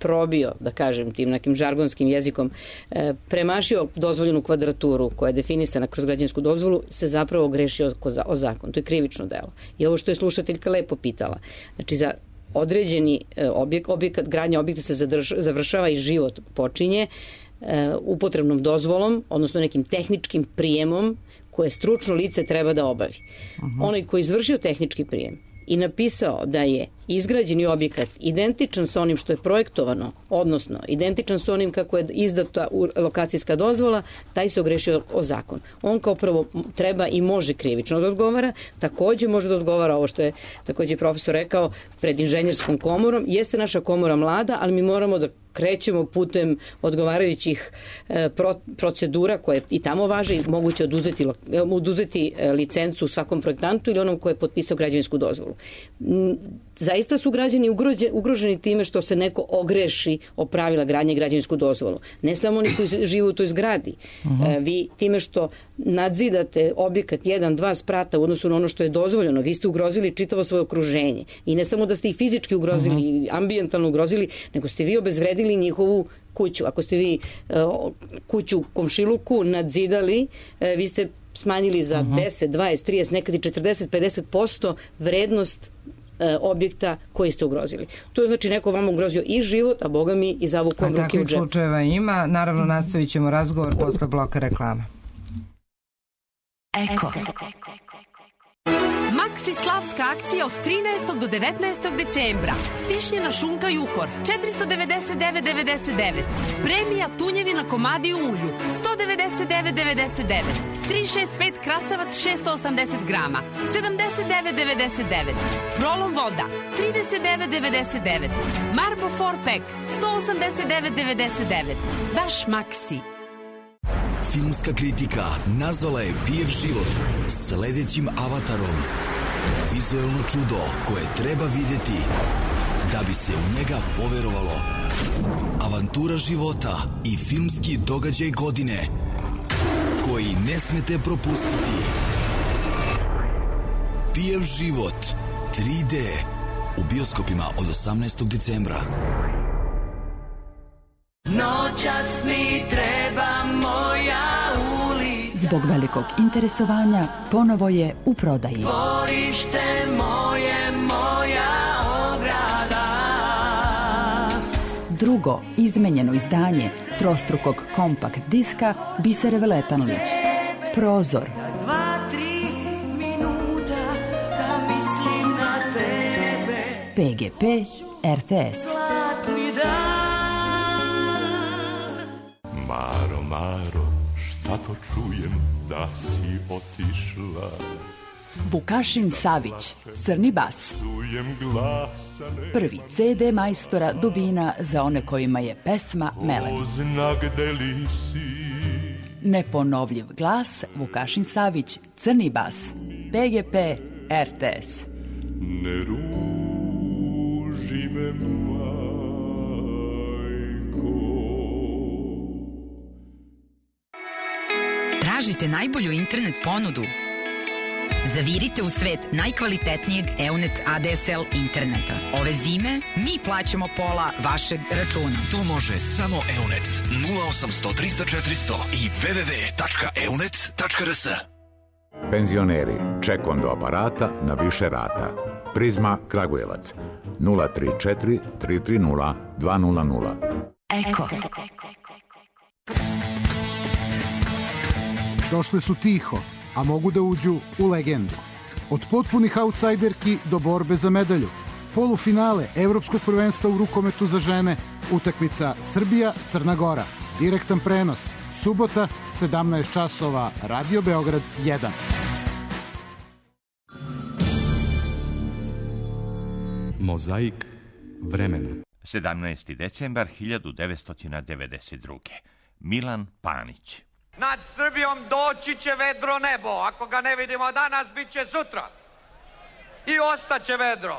probio, da kažem tim nekim žargonskim jezikom, e, premašio dozvoljenu kvadraturu koja je definisana kroz građevinsku dozvolu, se zapravo grešio o, o zakon. To je krivično delo. I ovo što je slušateljka lepo pitala. Znači, za određeni e, objek, objekat, gradnja objekta se zadrž, završava i život počinje e, upotrebnom dozvolom, odnosno nekim tehničkim prijemom koje stručno lice treba da obavi. Uh-huh. Onaj koji je izvršio tehnički prijem i napisao da je izgrađeni objekat identičan sa onim što je projektovano, odnosno identičan sa onim kako je izdata lokacijska dozvola, taj se ogrešio o zakon. On kao prvo treba i može krivično da odgovara, takođe može da odgovara ovo što je takođe profesor rekao pred inženjerskom komorom. Jeste naša komora mlada, ali mi moramo da krećemo putem odgovarajućih e, pro, procedura koje i tamo važe i moguće oduzeti, oduzeti licencu svakom projektantu ili onom ko je potpisao građevinsku dozvolu. Zaista su građani ugroženi time što se neko ogreši o pravila gradnje i građevinsku dozvolu. Ne samo oni koji žive u toj zgradi. Uh-huh. E, vi time što nadzidate objekat jedan, dva sprata u odnosu na ono što je dozvoljeno, vi ste ugrozili čitavo svoje okruženje. I ne samo da ste ih fizički ugrozili, uh-huh. ambijentalno ugrozili, nego ste vi obezvredili njihovu kuću. Ako ste vi e, kuću u komšiluku nadzidali, e, vi ste smanjili za uh-huh. deset, dvadeset, trideset, nekad i četrdeset, pedeset posto vrednost objekta koji ste ugrozili. To je znači neko vam ugrozio i život, a boga mi i zavukom ruke u džep. A takvih slučajeva ima. Naravno, nastavit ćemo razgovor posle bloka reklama. Eko. Maxi slavska akcija od trinaestog do devetnaestog decembra. Stišnjena šunka Juhor četiristo devedeset devet devedeset devet. Premija tunjevina komadi u ulju sto devedeset devet devedeset devet. tri šest pet krastavac šesto osamdeset grama sedamdeset devet devedeset devet. Prolom voda trideset devet devedeset devet. Marbo four pack sto osamdeset devet devedeset devet. Baš Maxi. Filmska kritika nazvala je Pijev život sledećim avatarom. Vizuelno čudo koje treba vidjeti da bi se u njega poverovalo. Avantura života i filmski događaj godine koji ne smete propustiti. Pijev život tri D u bioskopima od osamnaestog decembra. Noćas mi treba moja ulica. Zbog velikog interesovanja ponovo je u prodaji. Dvorište moje, moja ograda. Drugo izmenjeno izdanje trostrukog kompakt diska Bisere Veletanlić. Prozor. Dva, tri minuta da mislim na tebe. P G P R T S. Zlatni dan. Maro, Maro, šta to čujem da si otišla? Vukašin Savić, Crni bas. Prvi C D majstora Dubina za one kojima je pesma melem. Neponovljiv glas Vukašin Savić, Crni bas. P G P R T S. Ne ruži me, Tražite najbolju internet ponudu? Zavirite u svet najkvalitetnijeg Eunet A D S L interneta. Ove zime mi plaćamo pola vašeg računa. To može samo Eunet. nula osamsto trista četiristo i w w w tačka eunet tačka r s. Penzioneri, ček do aparata na više rata. Prizma Kragujevac nula tri četiri tri tri nula dva nula nula. Eko. Došle su tiho, a mogu da uđu u legendu. Od potpunih outsajderki do borbe za medalju. Polufinale Evropskog prvenstva u rukometu za žene. Utakmica Srbija-Crna Gora. Direktan prenos. Subota, sedamnaest časova. Radio Beograd jedan. Mozaik vremena. sedamnaesti decembar hiljadu devetsto devedeset druge. Milan Panić. Nad Srbijom doći će vedro nebo. Ako ga ne vidimo danas, bit će sutra. I ostaće vedro.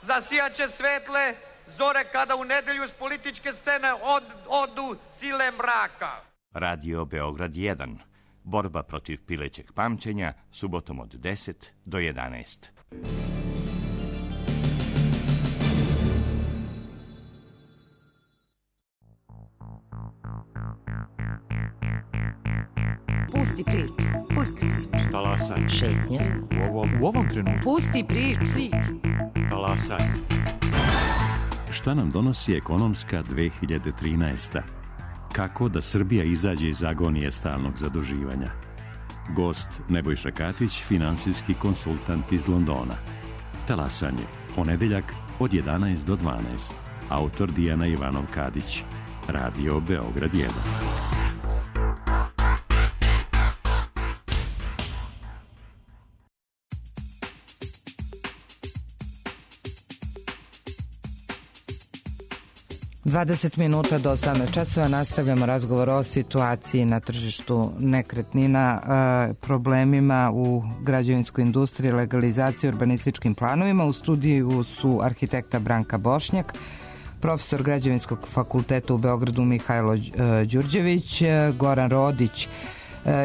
Zasijaće svetle zore kada u nedelju s političke scene od, odu sile mraka. Radio Beograd jedan. Borba protiv pilećeg pamćenja, subotom od deset do jedanaest. Pusti priču, pusti priču. Talasaj. Šetnje. U ovom, u ovom trenutku. Pusti priču. Talasaj. Šta nam donosi ekonomska dve hiljade trinaesta? Kako da Srbija izađe iz agonije stalnog zaduživanja? Gost Nebojša Katić, finansijski konsultant iz Londona. Talasanje, ponedeljak od jedanaest do dvanaest. Autor Dijana Ivanov Kadić. Radio Beograd jedan. dvadeset minuta do osamnaest časova nastavljamo razgovor o situaciji na tržištu nekretnina, problemima u građevinskoj industriji, legalizaciji, urbanističkim planovima. U studiju su arhitekta Branka Bošnjak, profesor Građevinskog fakulteta u Beogradu Mihajlo Đurđević, Goran Rodić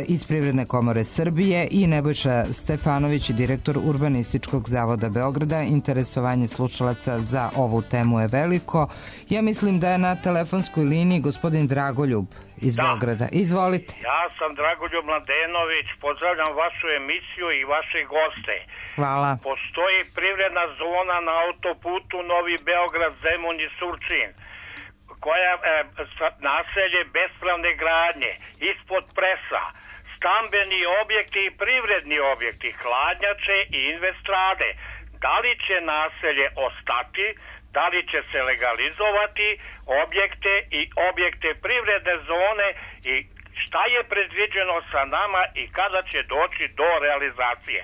iz Privredne komore Srbije i Nebojša Stefanović, direktor Urbanističkog zavoda Beograda. Interesovanje slušalaca za ovu temu je veliko. Ja mislim da je na telefonskoj liniji gospodin Dragoljub iz da. Beograda. Izvolite. Ja sam Dragoljub Mladenović, pozdravljam vašu emisiju i vaše goste. Hvala. Postoji privredna zona na autoputu Novi Beograd, Zemun i Surčin, koja e, naselje bespravne gradnje ispod presa, stambeni objekti i privredni objekti, hladnjače i investrade. Da li će naselje ostati, da li će se legalizovati objekte i objekte privredne zone i šta je predviđeno sa nama i kada će doći do realizacije?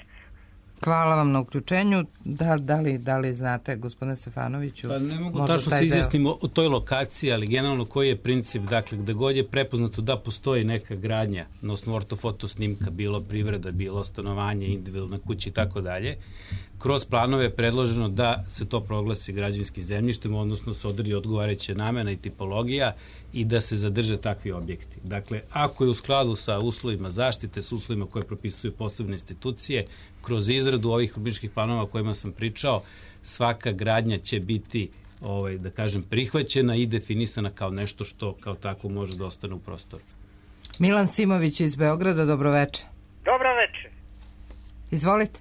Hvala vam na uključenju. Da, da, li, da li znate, gospodine Stefanoviću? Pa ne mogu tačno se izjasnimo o toj lokaciji, ali generalno koji je princip, dakle, gde god je prepoznato da postoji neka gradnja na osnovu ortofoto snimka, bilo privreda, bilo stanovanje, individualna kuća i tako dalje, kroz planove je predloženo da se to proglasi građevinskim zemljištem, odnosno se odredi odgovarajuća namena i tipologija i da se zadrže takvi objekti. Dakle, ako je u skladu sa uslovima zaštite, s uslovima koje propisuju posebne institucije, kroz izradu ovih urbanističkih planova o kojima sam pričao, svaka gradnja će biti, ovaj, da kažem, prihvaćena i definisana kao nešto što kao tako može da ostane u prostoru. Milan Simović iz Beograda, dobroveče. Dobroveče. Izvolite.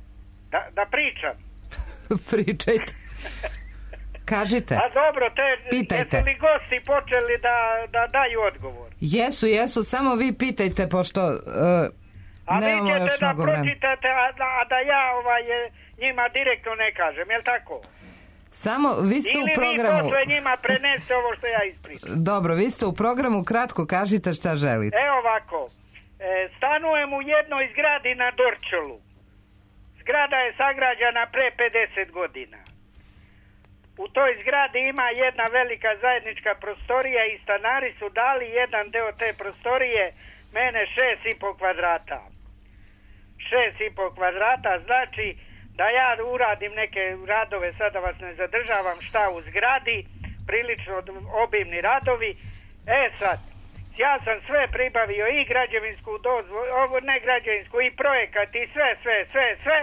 Da, da pričam. Pričajte. Kažite. A dobro, te, pitajte. Jesu li gosti počeli da, da daju odgovor? Jesu, jesu, samo vi pitajte, pošto uh, a nemamo vi još ćete da mnogo vremena. pročitate, a da, a da ja ovaj, njima direktno ne kažem, je li tako? Samo, vi ste Ili u programu... Ili vi posle njima preneste ovo što ja ispričam. Dobro, vi ste u programu, kratko kažite šta želite. Evo ovako, e, stanujem u jednoj zgradi na Dorčolu. Zgrada je sagrađena pre pedeset godina. U toj zgradi ima jedna velika zajednička prostorija i stanari su dali jedan deo te prostorije, mene šest i po kvadrata. Šest i po kvadrata znači da ja uradim neke radove, sada vas ne zadržavam, šta u zgradi, prilično obimni radovi. E sad, ja sam sve pribavio i građevinsku dozvolu, ovo ne građevinsku, i projekat i sve, sve, sve, sve,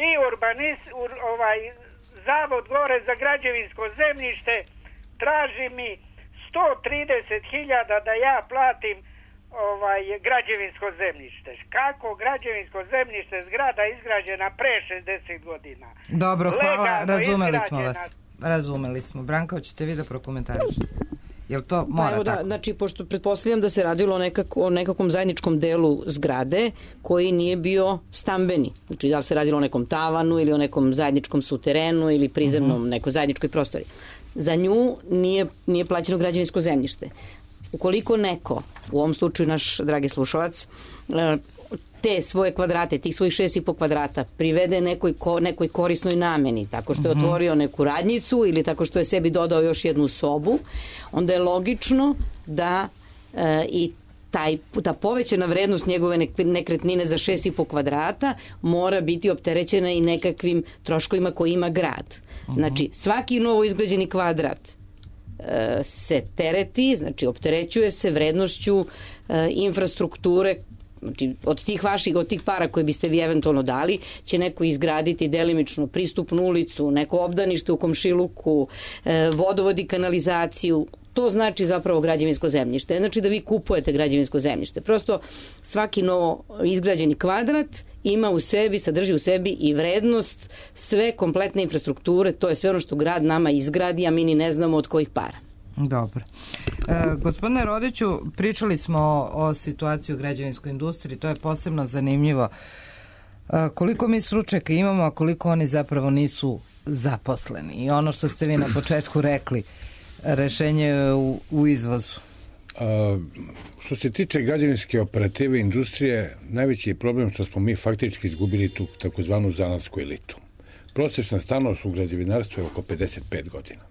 i urbanist, ur, ovaj, zavod gore za građevinsko zemljište traži mi sto trideset hiljada da ja platim ovaj građevinsko zemljište. Kako građevinsko zemljište, zgrada izgrađena pre šezdeset godina. Dobro, hvala, Legalno razumeli smo izgrađena. vas. Razumeli smo. Branka, hoćete vi da prokomentarišete? Jel to mora pa evo tako? Da, znači, pošto pretpostavljam da se radilo o, nekako, o nekakvom zajedničkom delu zgrade koji nije bio stambeni. Znači, da li se radilo o nekom tavanu ili o nekom zajedničkom suterenu ili prizemnom, uh-huh. nekoj zajedničkoj prostori. Za nju nije, nije plaćeno građevinsko zemljište. Ukoliko neko, u ovom slučaju naš dragi slušalac, te svoje kvadrate, tih svojih šest i po kvadrata privede nekoj, ko, nekoj korisnoj nameni, tako što je uh-huh. otvorio neku radnjicu ili tako što je sebi dodao još jednu sobu, onda je logično da e, i taj, ta povećana vrednost njegove nekretnine za šest i po kvadrata mora biti opterećena i nekakvim troškovima koje ima grad. Uh-huh. Znači, svaki novo izgrađeni kvadrat e, se tereti, znači opterećuje se vrednošću e, infrastrukture. Znači, od tih vaših, od tih para koje biste vi eventualno dali, će neko izgraditi delimično pristupnu ulicu, neko obdanište u komšiluku, e, vodovod i kanalizaciju. To znači zapravo građevinsko zemljište. Ne znači da vi kupujete građevinsko zemljište. Prosto svaki novo izgrađeni kvadrat ima u sebi, sadrži u sebi i vrednost sve kompletne infrastrukture. To je sve ono što grad nama izgradi, a mi ni ne znamo od kojih para. Dobro. E, gospodine Rodiću, pričali smo o, o situaciji u građevinskoj industriji, to je posebno zanimljivo. E, koliko mi stručnjaka imamo, a koliko oni zapravo nisu zaposleni. I ono što ste vi na početku rekli, rešenje je u, u izvozu. A, što se tiče građevinske operative industrije, najveći je problem što smo mi faktički izgubili tu takozvanu zanatsku elitu. Prosječna stanost u građevinarstvu je oko pedeset pet godina.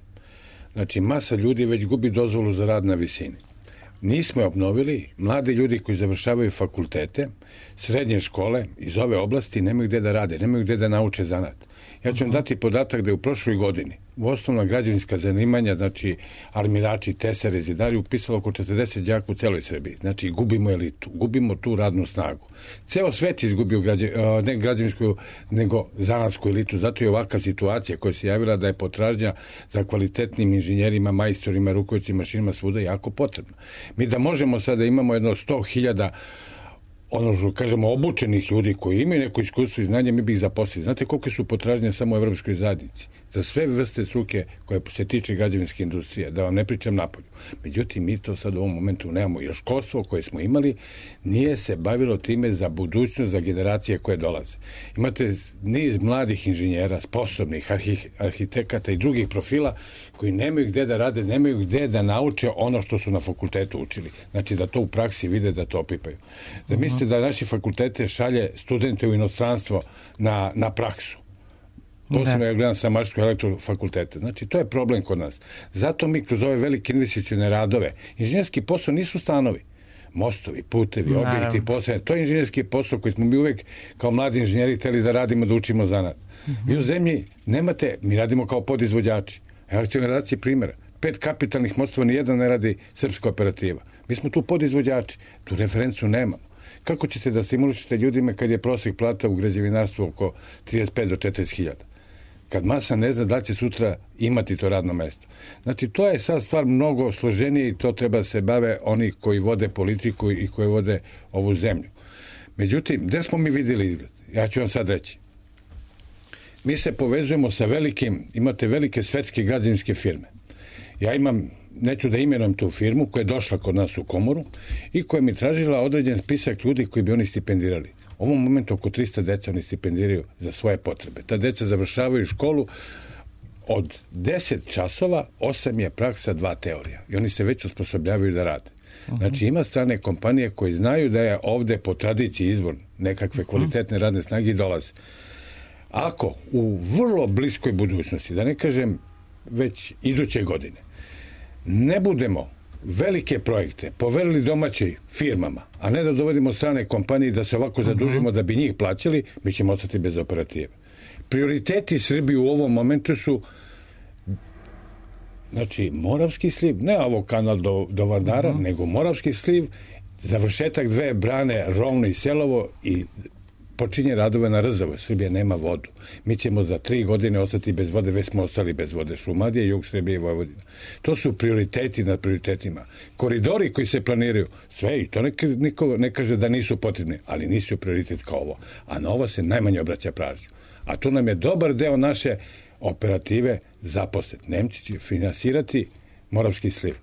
Znači, masa ljudi već gubi dozvolu za rad na visini. Nismo je obnovili, mladi ljudi koji završavaju fakultete, srednje škole iz ove oblasti nemaju gde da rade, nemaju gde da nauče zanat. Ja ću vam dati podatak da je u prošloj godini u osnovna građevinska zanimanja, znači armirači, tesari, zidari, upisalo oko četrdeset đaka u celoj Srbiji. Znači, gubimo elitu, gubimo tu radnu snagu. Ceo svet izgubio građe, ne građevinsku, nego zanatsku elitu. Zato je ovakva situacija koja se javila da je potražnja za kvalitetnim inženjerima, majstorima, rukovodcima, mašinima svuda jako potrebna. Mi da možemo sada imamo jedno sto hiljada ono što kažemo obučenih ljudi koji imaju neko iskustvo i znanje, mi bi ih zaposlili. Znate koliko su potražnje samo u Evropskoj zajednici? za sve vrste struke koje se tiče građevinske industrije, da vam ne pričam napolju. Međutim, mi to sad u ovom momentu nemamo. Još školstvo koje smo imali nije se bavilo time za budućnost, za generacije koje dolaze. Imate niz mladih inženjera, sposobnih arhi, arhitekata i drugih profila koji nemaju gde da rade, nemaju gde da nauče ono što su na fakultetu učili. Znači da to u praksi vide, da to opipaju. Da mislite da naši fakultete šalje studente u inostranstvo na, na praksu. Posebno ja gledam sa Mašarskog elektrofakulteta. Znači, to je problem kod nas. Zato mi kroz ove velike investicione radove, inženjerski posao nisu stanovi, mostovi, putevi, objekti, posao. To je inženjerski posao koji smo mi uvek kao mladi inženjeri hteli da radimo, da učimo zanat. Mm-hmm. Vi u zemlji nemate, mi radimo kao podizvođači. Evo ću vam raditi primjera. Pet kapitalnih mostova, nijedan ne radi srpska operativa. Mi smo tu podizvođači. Tu referencu nemamo. Kako ćete da stimulišete ljudima kad je prosek plata u građevinarstvu oko trideset pet do četrdeset hiljada? Kad masa ne zna da će sutra imati to radno mesto. Znači, to je sad stvar mnogo složenije i to treba se bave oni koji vode politiku i koji vode ovu zemlju. Međutim, gde smo mi vidjeli izgled? Ja ću vam sad reći. Mi se povezujemo sa velikim, imate velike svetske građevinske firme. Ja imam, neću da imenujem tu firmu, koja je došla kod nas u komoru i koja mi tražila određen spisak ljudi koji bi oni stipendirali. U ovom momentu oko trista deca oni stipendiraju za svoje potrebe. Ta deca završavaju školu od deset časova, osam je praksa, dva teorija. I oni se već osposobljavaju da rade. Znači, ima strane kompanije koji znaju da je ovde po tradiciji izvor nekakve kvalitetne radne snage i dolaze. Ako u vrlo bliskoj budućnosti, da ne kažem već iduće godine, ne budemo velike projekte poverili domaćim firmama, a ne da dovodimo strane kompanije da se ovako zadužimo da bi njih plaćali, mi ćemo ostati bez operative. Prioriteti Srbije u ovom momentu su znači Moravski sliv, ne ovo kanal do, do Vardara, uh-huh. nego Moravski sliv, završetak dve brane Rovno i Selovo i počinje radove na Rzavoj. Srbija nema vodu. Mi ćemo za tri godine ostati bez vode, već smo ostali bez vode. Šumadija, Jug Srbije i Vojvodina. To su prioriteti nad prioritetima. Koridori koji se planiraju, sve i to neka, niko ne kaže da nisu potrebni, ali nisu prioritet kao ovo. A na ovo se najmanje obraća pažnju. A tu nam je dobar deo naše operative zaposlet. Nemci će finansirati Moravski sliv.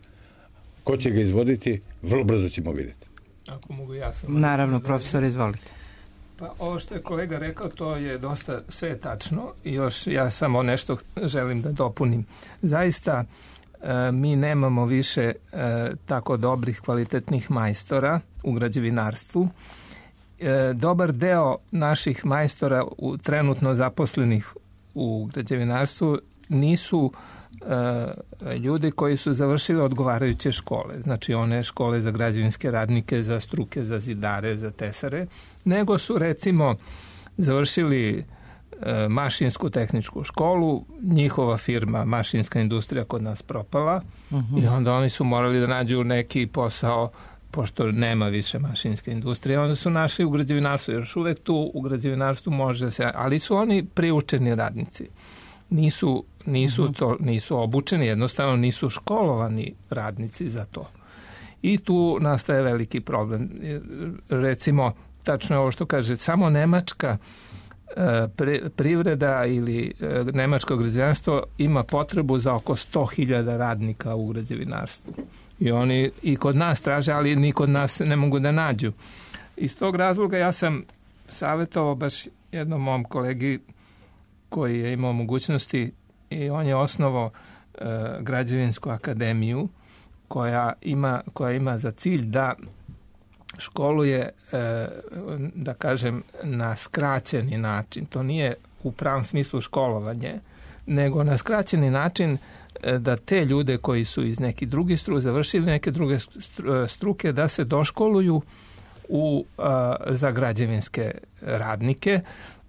Ko će ga izvoditi, vrlo brzo ćemo vidjeti. Ako mogu ja sam... Naravno, profesor, izvolite. Pa ovo što je kolega rekao, to je dosta sve tačno i još ja samo nešto želim da dopunim. Zaista e, mi nemamo više e, tako dobrih kvalitetnih majstora u građevinarstvu. E, dobar deo naših majstora u, trenutno zaposlenih u građevinarstvu nisu e, ljudi koji su završili odgovarajuće škole. Znači one škole za građevinske radnike, za struke, za zidare, za tesare, nego su recimo završili e, mašinsku tehničku školu, njihova firma mašinska industrija kod nas propala uh-huh. i onda oni su morali da nađu neki posao pošto nema više mašinske industrije, onda su našli u građevinarstvu, još uvek tu u građevinarstvu može se, ali su oni priučeni radnici. Nisu, nisu, uh-huh. to, nisu obučeni, jednostavno nisu školovani radnici za to. I tu nastaje veliki problem. Recimo, tačno je ovo što kaže, samo nemačka e, privreda ili e, nemačko građevinarstvo ima potrebu za oko sto hiljada radnika u građevinarstvu. I oni i kod nas traže, ali ni kod nas ne mogu da nađu. Iz tog razloga ja sam savjetovao baš jednom mom kolegi koji je imao mogućnosti i on je osnovao e, građevinsku akademiju koja ima, koja ima za cilj da školuje, e, da kažem, na skraćeni način. To nije u pravom smislu školovanje, nego na skraćeni način e, da te ljude koji su iz nekih drugih struka, završili neke druge struke, da se doškoluju u, a, za građevinske radnike.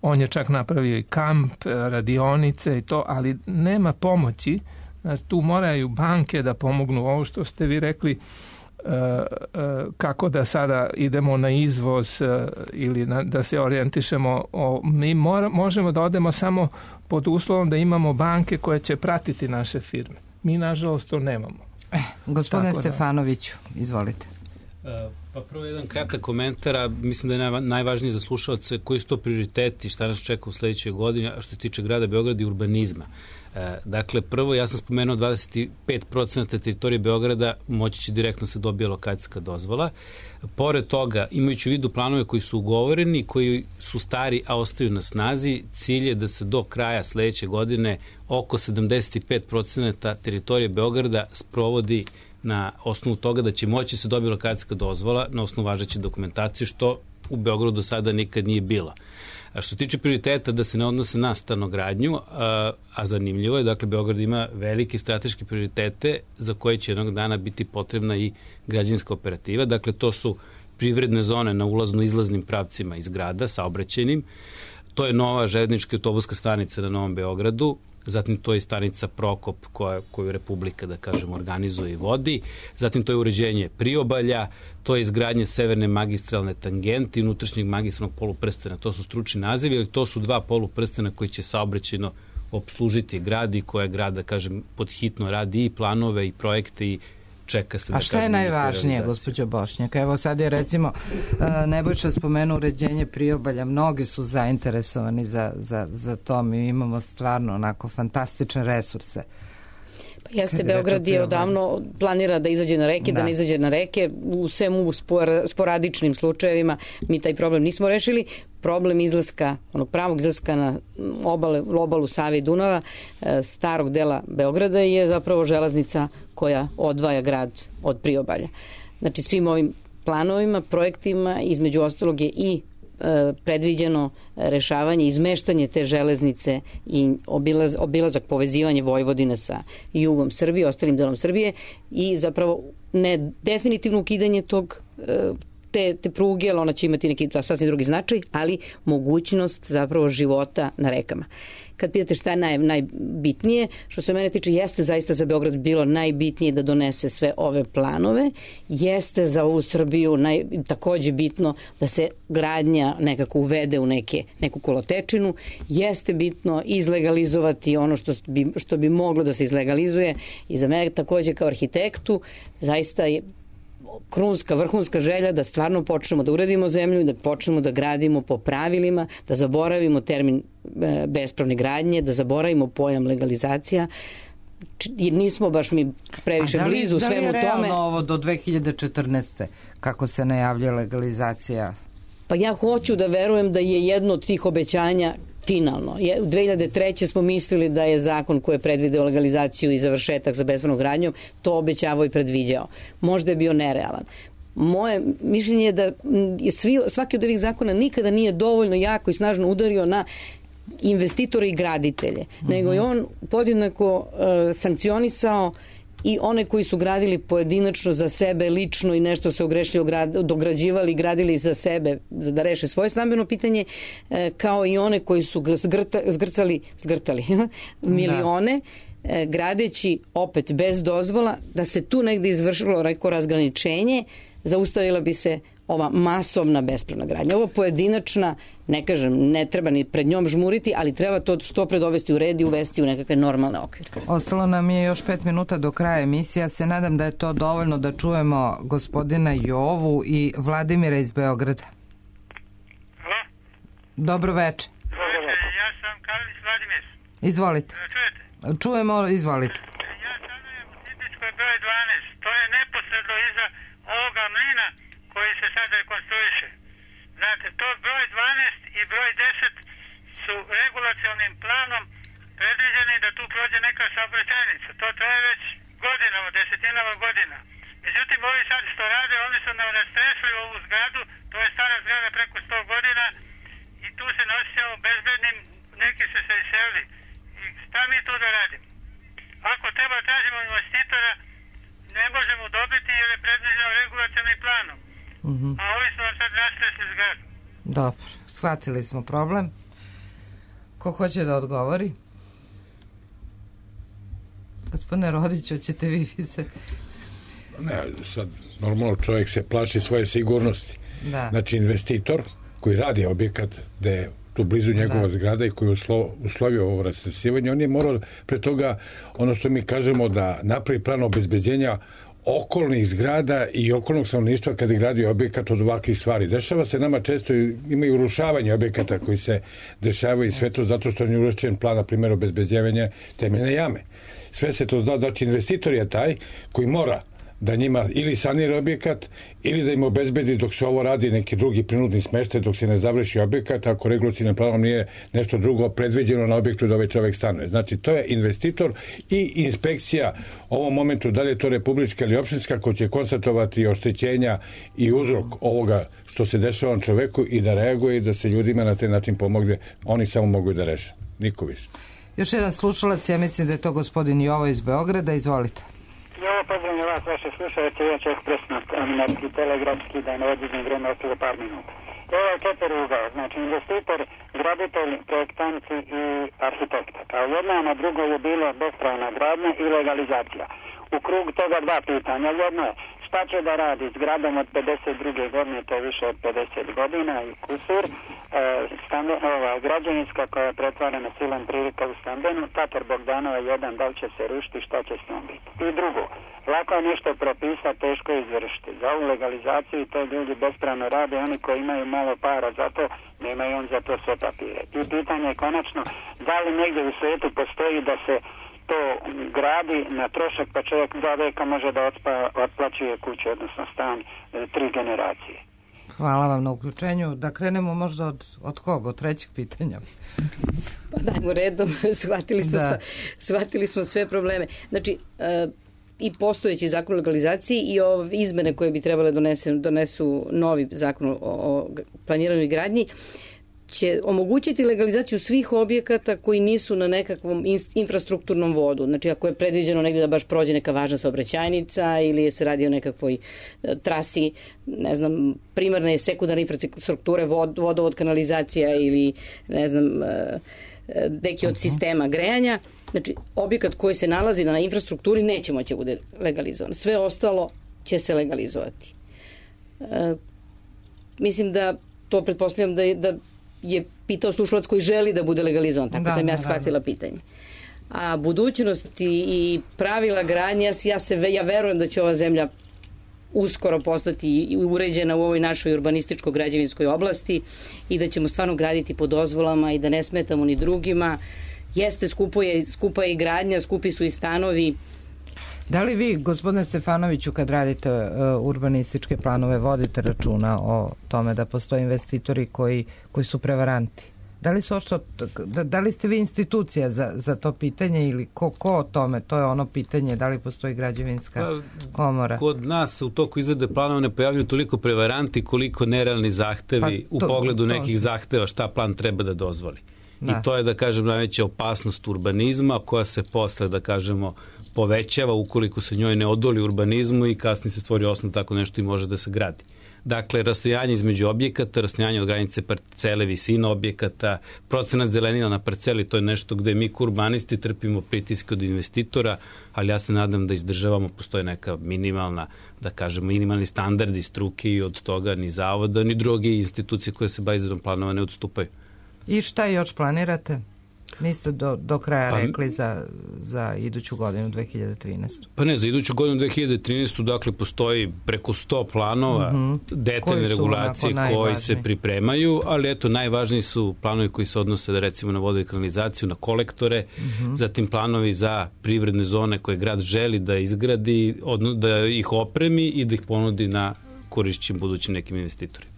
On je čak napravio i kamp, radionice i to, ali nema pomoći. Znači, tu moraju banke da pomognu. Ovo što ste vi rekli, uh, uh, kako da sada idemo na izvoz uh, ili na, da se orijentišemo. O, mi mora, možemo da odemo samo pod uslovom da imamo banke koje će pratiti naše firme. Mi, nažalost, to nemamo. Eh, gospodine Stefanoviću, izvolite. Uh, Pa prvo jedan kratak komentar, a mislim da je najvažnije za slušalce koji su to prioriteti, šta nas čeka u sledećoj godini, a što se tiče grada Beograda i urbanizma. E, dakle, prvo, ja sam spomenuo dvadeset pet procenta teritorije Beograda moći će direktno se dobije lokacijska dozvola. Pored toga, imajući u vidu planove koji su ugovoreni, koji su stari, a ostaju na snazi, cilj je da se do kraja sledeće godine oko sedamdeset pet procenta teritorije Beograda sprovodi na osnovu toga da će moći se dobiti lokacijska dozvola na osnovu važeće dokumentacije, što u Beogradu do sada nikad nije bilo. A što se tiče prioriteta da se ne odnose na stanogradnju, a, a zanimljivo je, dakle, Beograd ima velike strateške prioritete za koje će jednog dana biti potrebna i građevinska operativa. Dakle, to su privredne zone na ulazno-izlaznim pravcima iz grada, saobraćajnim. To je nova železnička autobuska stanica na Novom Beogradu, zatim to je stanica Prokop koja, koju Republika, da kažem, organizuje i vodi, zatim to je uređenje priobalja, to je izgradnje severne magistralne tangente i unutrašnjeg magistralnog poluprstena. To su stručni nazivi, ali to su dva poluprstena koji će saobraćajno obslužiti grad i koja grad, da kažem, podhitno radi i planove i projekte i čeka se. A šta je najvažnije, gospođo Bošnjak? Evo sad je recimo Nebojša spomenuo uređenje priobalja, mnogi su zainteresovani za, za, za to, mi imamo stvarno onako fantastične resurse. Pa jeste, Beograd je odavno planira da izađe na reke, da, da ne izađe na reke, u svemu sporadičnim slučajevima mi taj problem nismo rešili. Problem izlaska, onog pravog izlaska na obale, obalu Save i Dunava, starog dela Beograda je zapravo železnica koja odvaja grad od priobalja. Znači svim ovim planovima, projektima, između ostalog je i predviđeno rešavanje, izmeštanje te železnice i obilaz, obilazak, povezivanje Vojvodine sa jugom Srbije, ostalim delom Srbije i zapravo ne definitivno ukidanje tog te, te pruge, ali ona će imati neki sasvim drugi značaj, ali mogućnost zapravo života na rekama. Kad pitate šta je naj, najbitnije, što se mene tiče, jeste zaista za Beograd bilo najbitnije da donese sve ove planove, jeste za ovu Srbiju naj, takođe bitno da se gradnja nekako uvede u neke, neku kolotečinu, jeste bitno izlegalizovati ono što bi, što bi moglo da se izlegalizuje i za mene takođe kao arhitektu zaista je krunska, vrhunska želja da stvarno počnemo da uredimo zemlju i da počnemo da gradimo po pravilima, da zaboravimo termin bespravne gradnje, da zaboravimo pojam legalizacija, jer nismo baš mi previše da li, blizu svemu tome. Da li je realno ovo do dve hiljade četrnaeste kako se najavlja legalizacija? Pa ja hoću da verujem da je jedno od tih obećanja finalno. U dve hiljade treće smo mislili da je zakon koji je predvideo legalizaciju i završetak za bespravnom gradnjom to obećavao i predviđao. Možda je bio nerealan. Moje mišljenje je da je svi, svaki od ovih zakona nikada nije dovoljno jako i snažno udario na investitore i graditelje, mm-hmm. nego je on podjednako uh, sankcionisao i one koji su gradili pojedinačno za sebe lično i nešto se ogrešili, dograđivali, gradili za sebe da reše svoje stambeno pitanje, kao i one koji su zgrta, zgrcali, zgrtali milione, da. gradeći opet bez dozvola, da se tu negde izvršilo reko razgraničenje, zaustavila bi se ova masovna bespravna gradnja. Ovo pojedinačna, ne kažem, ne treba ni pred njom žmuriti, ali treba to što pred dovesti u red i uvesti u nekakve normalne okvire. Ostalo nam je još pet minuta do kraja emisije. Ja se nadam da je to dovoljno da čujemo gospodina Jovu i Vladimira iz Beograda. Hvala. Dobro večer. Dobro večer, ja sam Karlić Vladimir. Izvolite. Čujete? Čujemo, izvolite. Ja stanujem u Tipičkoj broj dvanaest. To je neposredno iza ovoga mlina koji se sad rekonstruiše. Znate, to broj dvanaest i broj deset su regulacionim planom predviđeni da tu prođe neka saobraćajnica. To traje već godinama, desetinama godina. Međutim, ovi sad što rade, oni su nam rastresli ovu zgradu, to je stara zgrada preko sto godina i tu se nosimo bezbednim, neki su se iselili. I šta mi tu da radimo? Ako treba tražimo investitora, ne možemo dobiti jer je predviđeno regulacionim planom. Mm-hmm. A ovi su vam sad rastresli zgradu. Dobro, shvatili smo problem. Ko hoće da odgovori? Gospodine Rodić, hoćete vi se... Ne, sad normalno čovjek se plaši svoje sigurnosti. Da. Znači investitor koji radi objekat gde je tu blizu njegova da. zgrada i koji je uslo, uslovio ovo rastresivanje, on je morao pre toga, ono što mi kažemo, da napravi plan obezbeđenja okolnih zgrada i okolnog stanovništva kada je gradio objekat od ovakvih stvari. Dešava se nama često, imaju urušavanje objekata koji se dešavaju i sve to zato što je urušen plan, na primjer, obezbeđivanja temeljne jame. Sve se to zna, znači investitor je taj koji mora da njima ili sanira objekat ili da im obezbedi dok se ovo radi neki drugi prinudni smeštaj dok se ne završi objekat ako regulacijnim planom nije nešto drugo predviđeno na objektu da ovaj čovjek stanuje. Znači to je investitor i inspekcija u ovom momentu da li je to republička ili opštinska ko će konstatovati oštećenja i uzrok ovoga što se dešava čoveku i da reaguje i da se ljudima na taj način pomogne. Oni samo mogu da reše. Niko više. Još jedan slušalac, ja mislim da je to gospodin Jovo iz Beograda, izvolite. Jovo, pozdravljam vas, vaše slušalce, ja ću ekspresno, novinarski, telegrafski, da ne odizim vreme ostalo par minuta. Ovo je četiri ugao, znači investitor, graditelj, projektanti i arhitekta. Kao jedna, na drugo je bilo bespravna gradnja i legalizacija. U krug toga dva pitanja. Jedno je, šta će da radi s gradom od pedeset druge godine, to je više od pedeset godina i kusur, e, stande, ova, građevinska koja je pretvarana silom prilika u stambenu, Tatar Bogdanova jedan, da li će se rušiti, šta će s njom biti. I drugo, lako je nešto propisati, teško je izvršiti. Za ovu legalizaciju to ljudi bespravno rade, oni koji imaju malo para za to, nemaju on za to sve papire. I pitanje je konačno, da li negdje u svijetu postoji da se to gradi na trošak pa čovjek dva veka može da odspa, otplaćuje kuću, odnosno stan, tri generacije. Hvala vam na uključenju. Da krenemo možda od, od koga? Od trećeg pitanja. Pa dajmo redom, shvatili smo, da. shvatili smo sve probleme. Znači, e, i postojeći zakon o legalizaciji i ove izmene koje bi trebale donese, donesu novi zakon o, o planiranju i gradnji, će omogućiti legalizaciju svih objekata koji nisu na nekakvom infrastrukturnom vodu. Znači, ako je predviđeno negdje da baš prođe neka važna saobraćajnica ili se radi o nekakvoj trasi, ne znam, primarne i sekundarne infrastrukture, vod, vodovod, kanalizacija ili, ne znam, neki od sistema grejanja. Znači, objekat koji se nalazi na infrastrukturi neće moći bude legalizovan. Sve ostalo će se legalizovati. E, mislim da to pretpostavljam da je, da je pitao slušalac koji želi da bude legalizovan, tako da, sam ja shvatila pitanje. A budućnost i, i pravila gradnje, ja, se, ja verujem da će ova zemlja uskoro postati uređena u ovoj našoj urbanističko-građevinskoj oblasti i da ćemo stvarno graditi po dozvolama i da ne smetamo ni drugima. Jeste, skupo je, skupa je i gradnja, skupi su i stanovi. Da li vi, gospodine Stefanoviću, kad radite uh, urbanističke planove, vodite računa o tome da postoje investitori koji, koji su prevaranti? Da li, su ošto, da, da li ste vi institucija za, za to pitanje ili ko, ko o tome? To je ono pitanje, da li postoji građevinska komora? Kod nas u toku izrade planova ne pojavljuju toliko prevaranti koliko nerealni zahtevi pa to, u pogledu to, nekih to. zahteva šta plan treba da dozvoli. Da. I to je, da kažem, najveća opasnost urbanizma koja se posle, da kažemo, povećava ukoliko se njoj ne odoli urbanizmu i kasnije se stvori osnov tako nešto i može da se gradi. Dakle, rastojanje između objekata, rastojanje od granice parcele, visina objekata, procenat zelenila na parceli, to je nešto gde mi urbanisti trpimo pritiske od investitora, ali ja se nadam da izdržavamo, postoje neka minimalna, da kažemo, minimalni standardi struke i od toga ni zavoda, ni druge institucije koje se bave izradom planova ne odstupaju. I šta još planirate? Niste do, do kraja pa, rekli za, za iduću godinu dve hiljade trinaestu. Pa ne, za iduću godinu dve hiljade trinaestu dakle postoji preko sto planova mm-hmm. detaljne regulacije koji se pripremaju, ali eto najvažniji su planovi koji se odnose da recimo na vodu i kanalizaciju, na kolektore, mm-hmm. zatim planovi za privredne zone koje grad želi da izgradi, odno, da ih opremi i da ih ponudi na korišćim budućim nekim investitorima.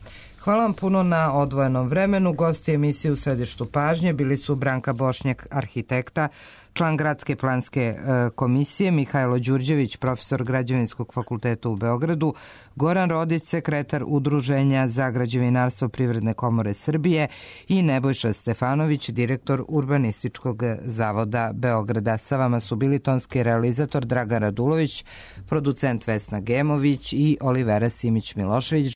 Hvala vam puno na odvojenom vremenu. Gosti emisije U središtu pažnje bili su Branka Bošnjak, arhitekta, član Gradske planske e, komisije, Mihajlo Đurđević, profesor Građevinskog fakulteta u Beogradu, Goran Rodić, sekretar Udruženja za građevinarstvo Privredne komore Srbije i Nebojša Stefanović, direktor Urbanističkog zavoda Beograda. Sa vama su bili tonski realizator Dragan Radulović, producent Vesna Gemović i Olivera Simić-Milošević.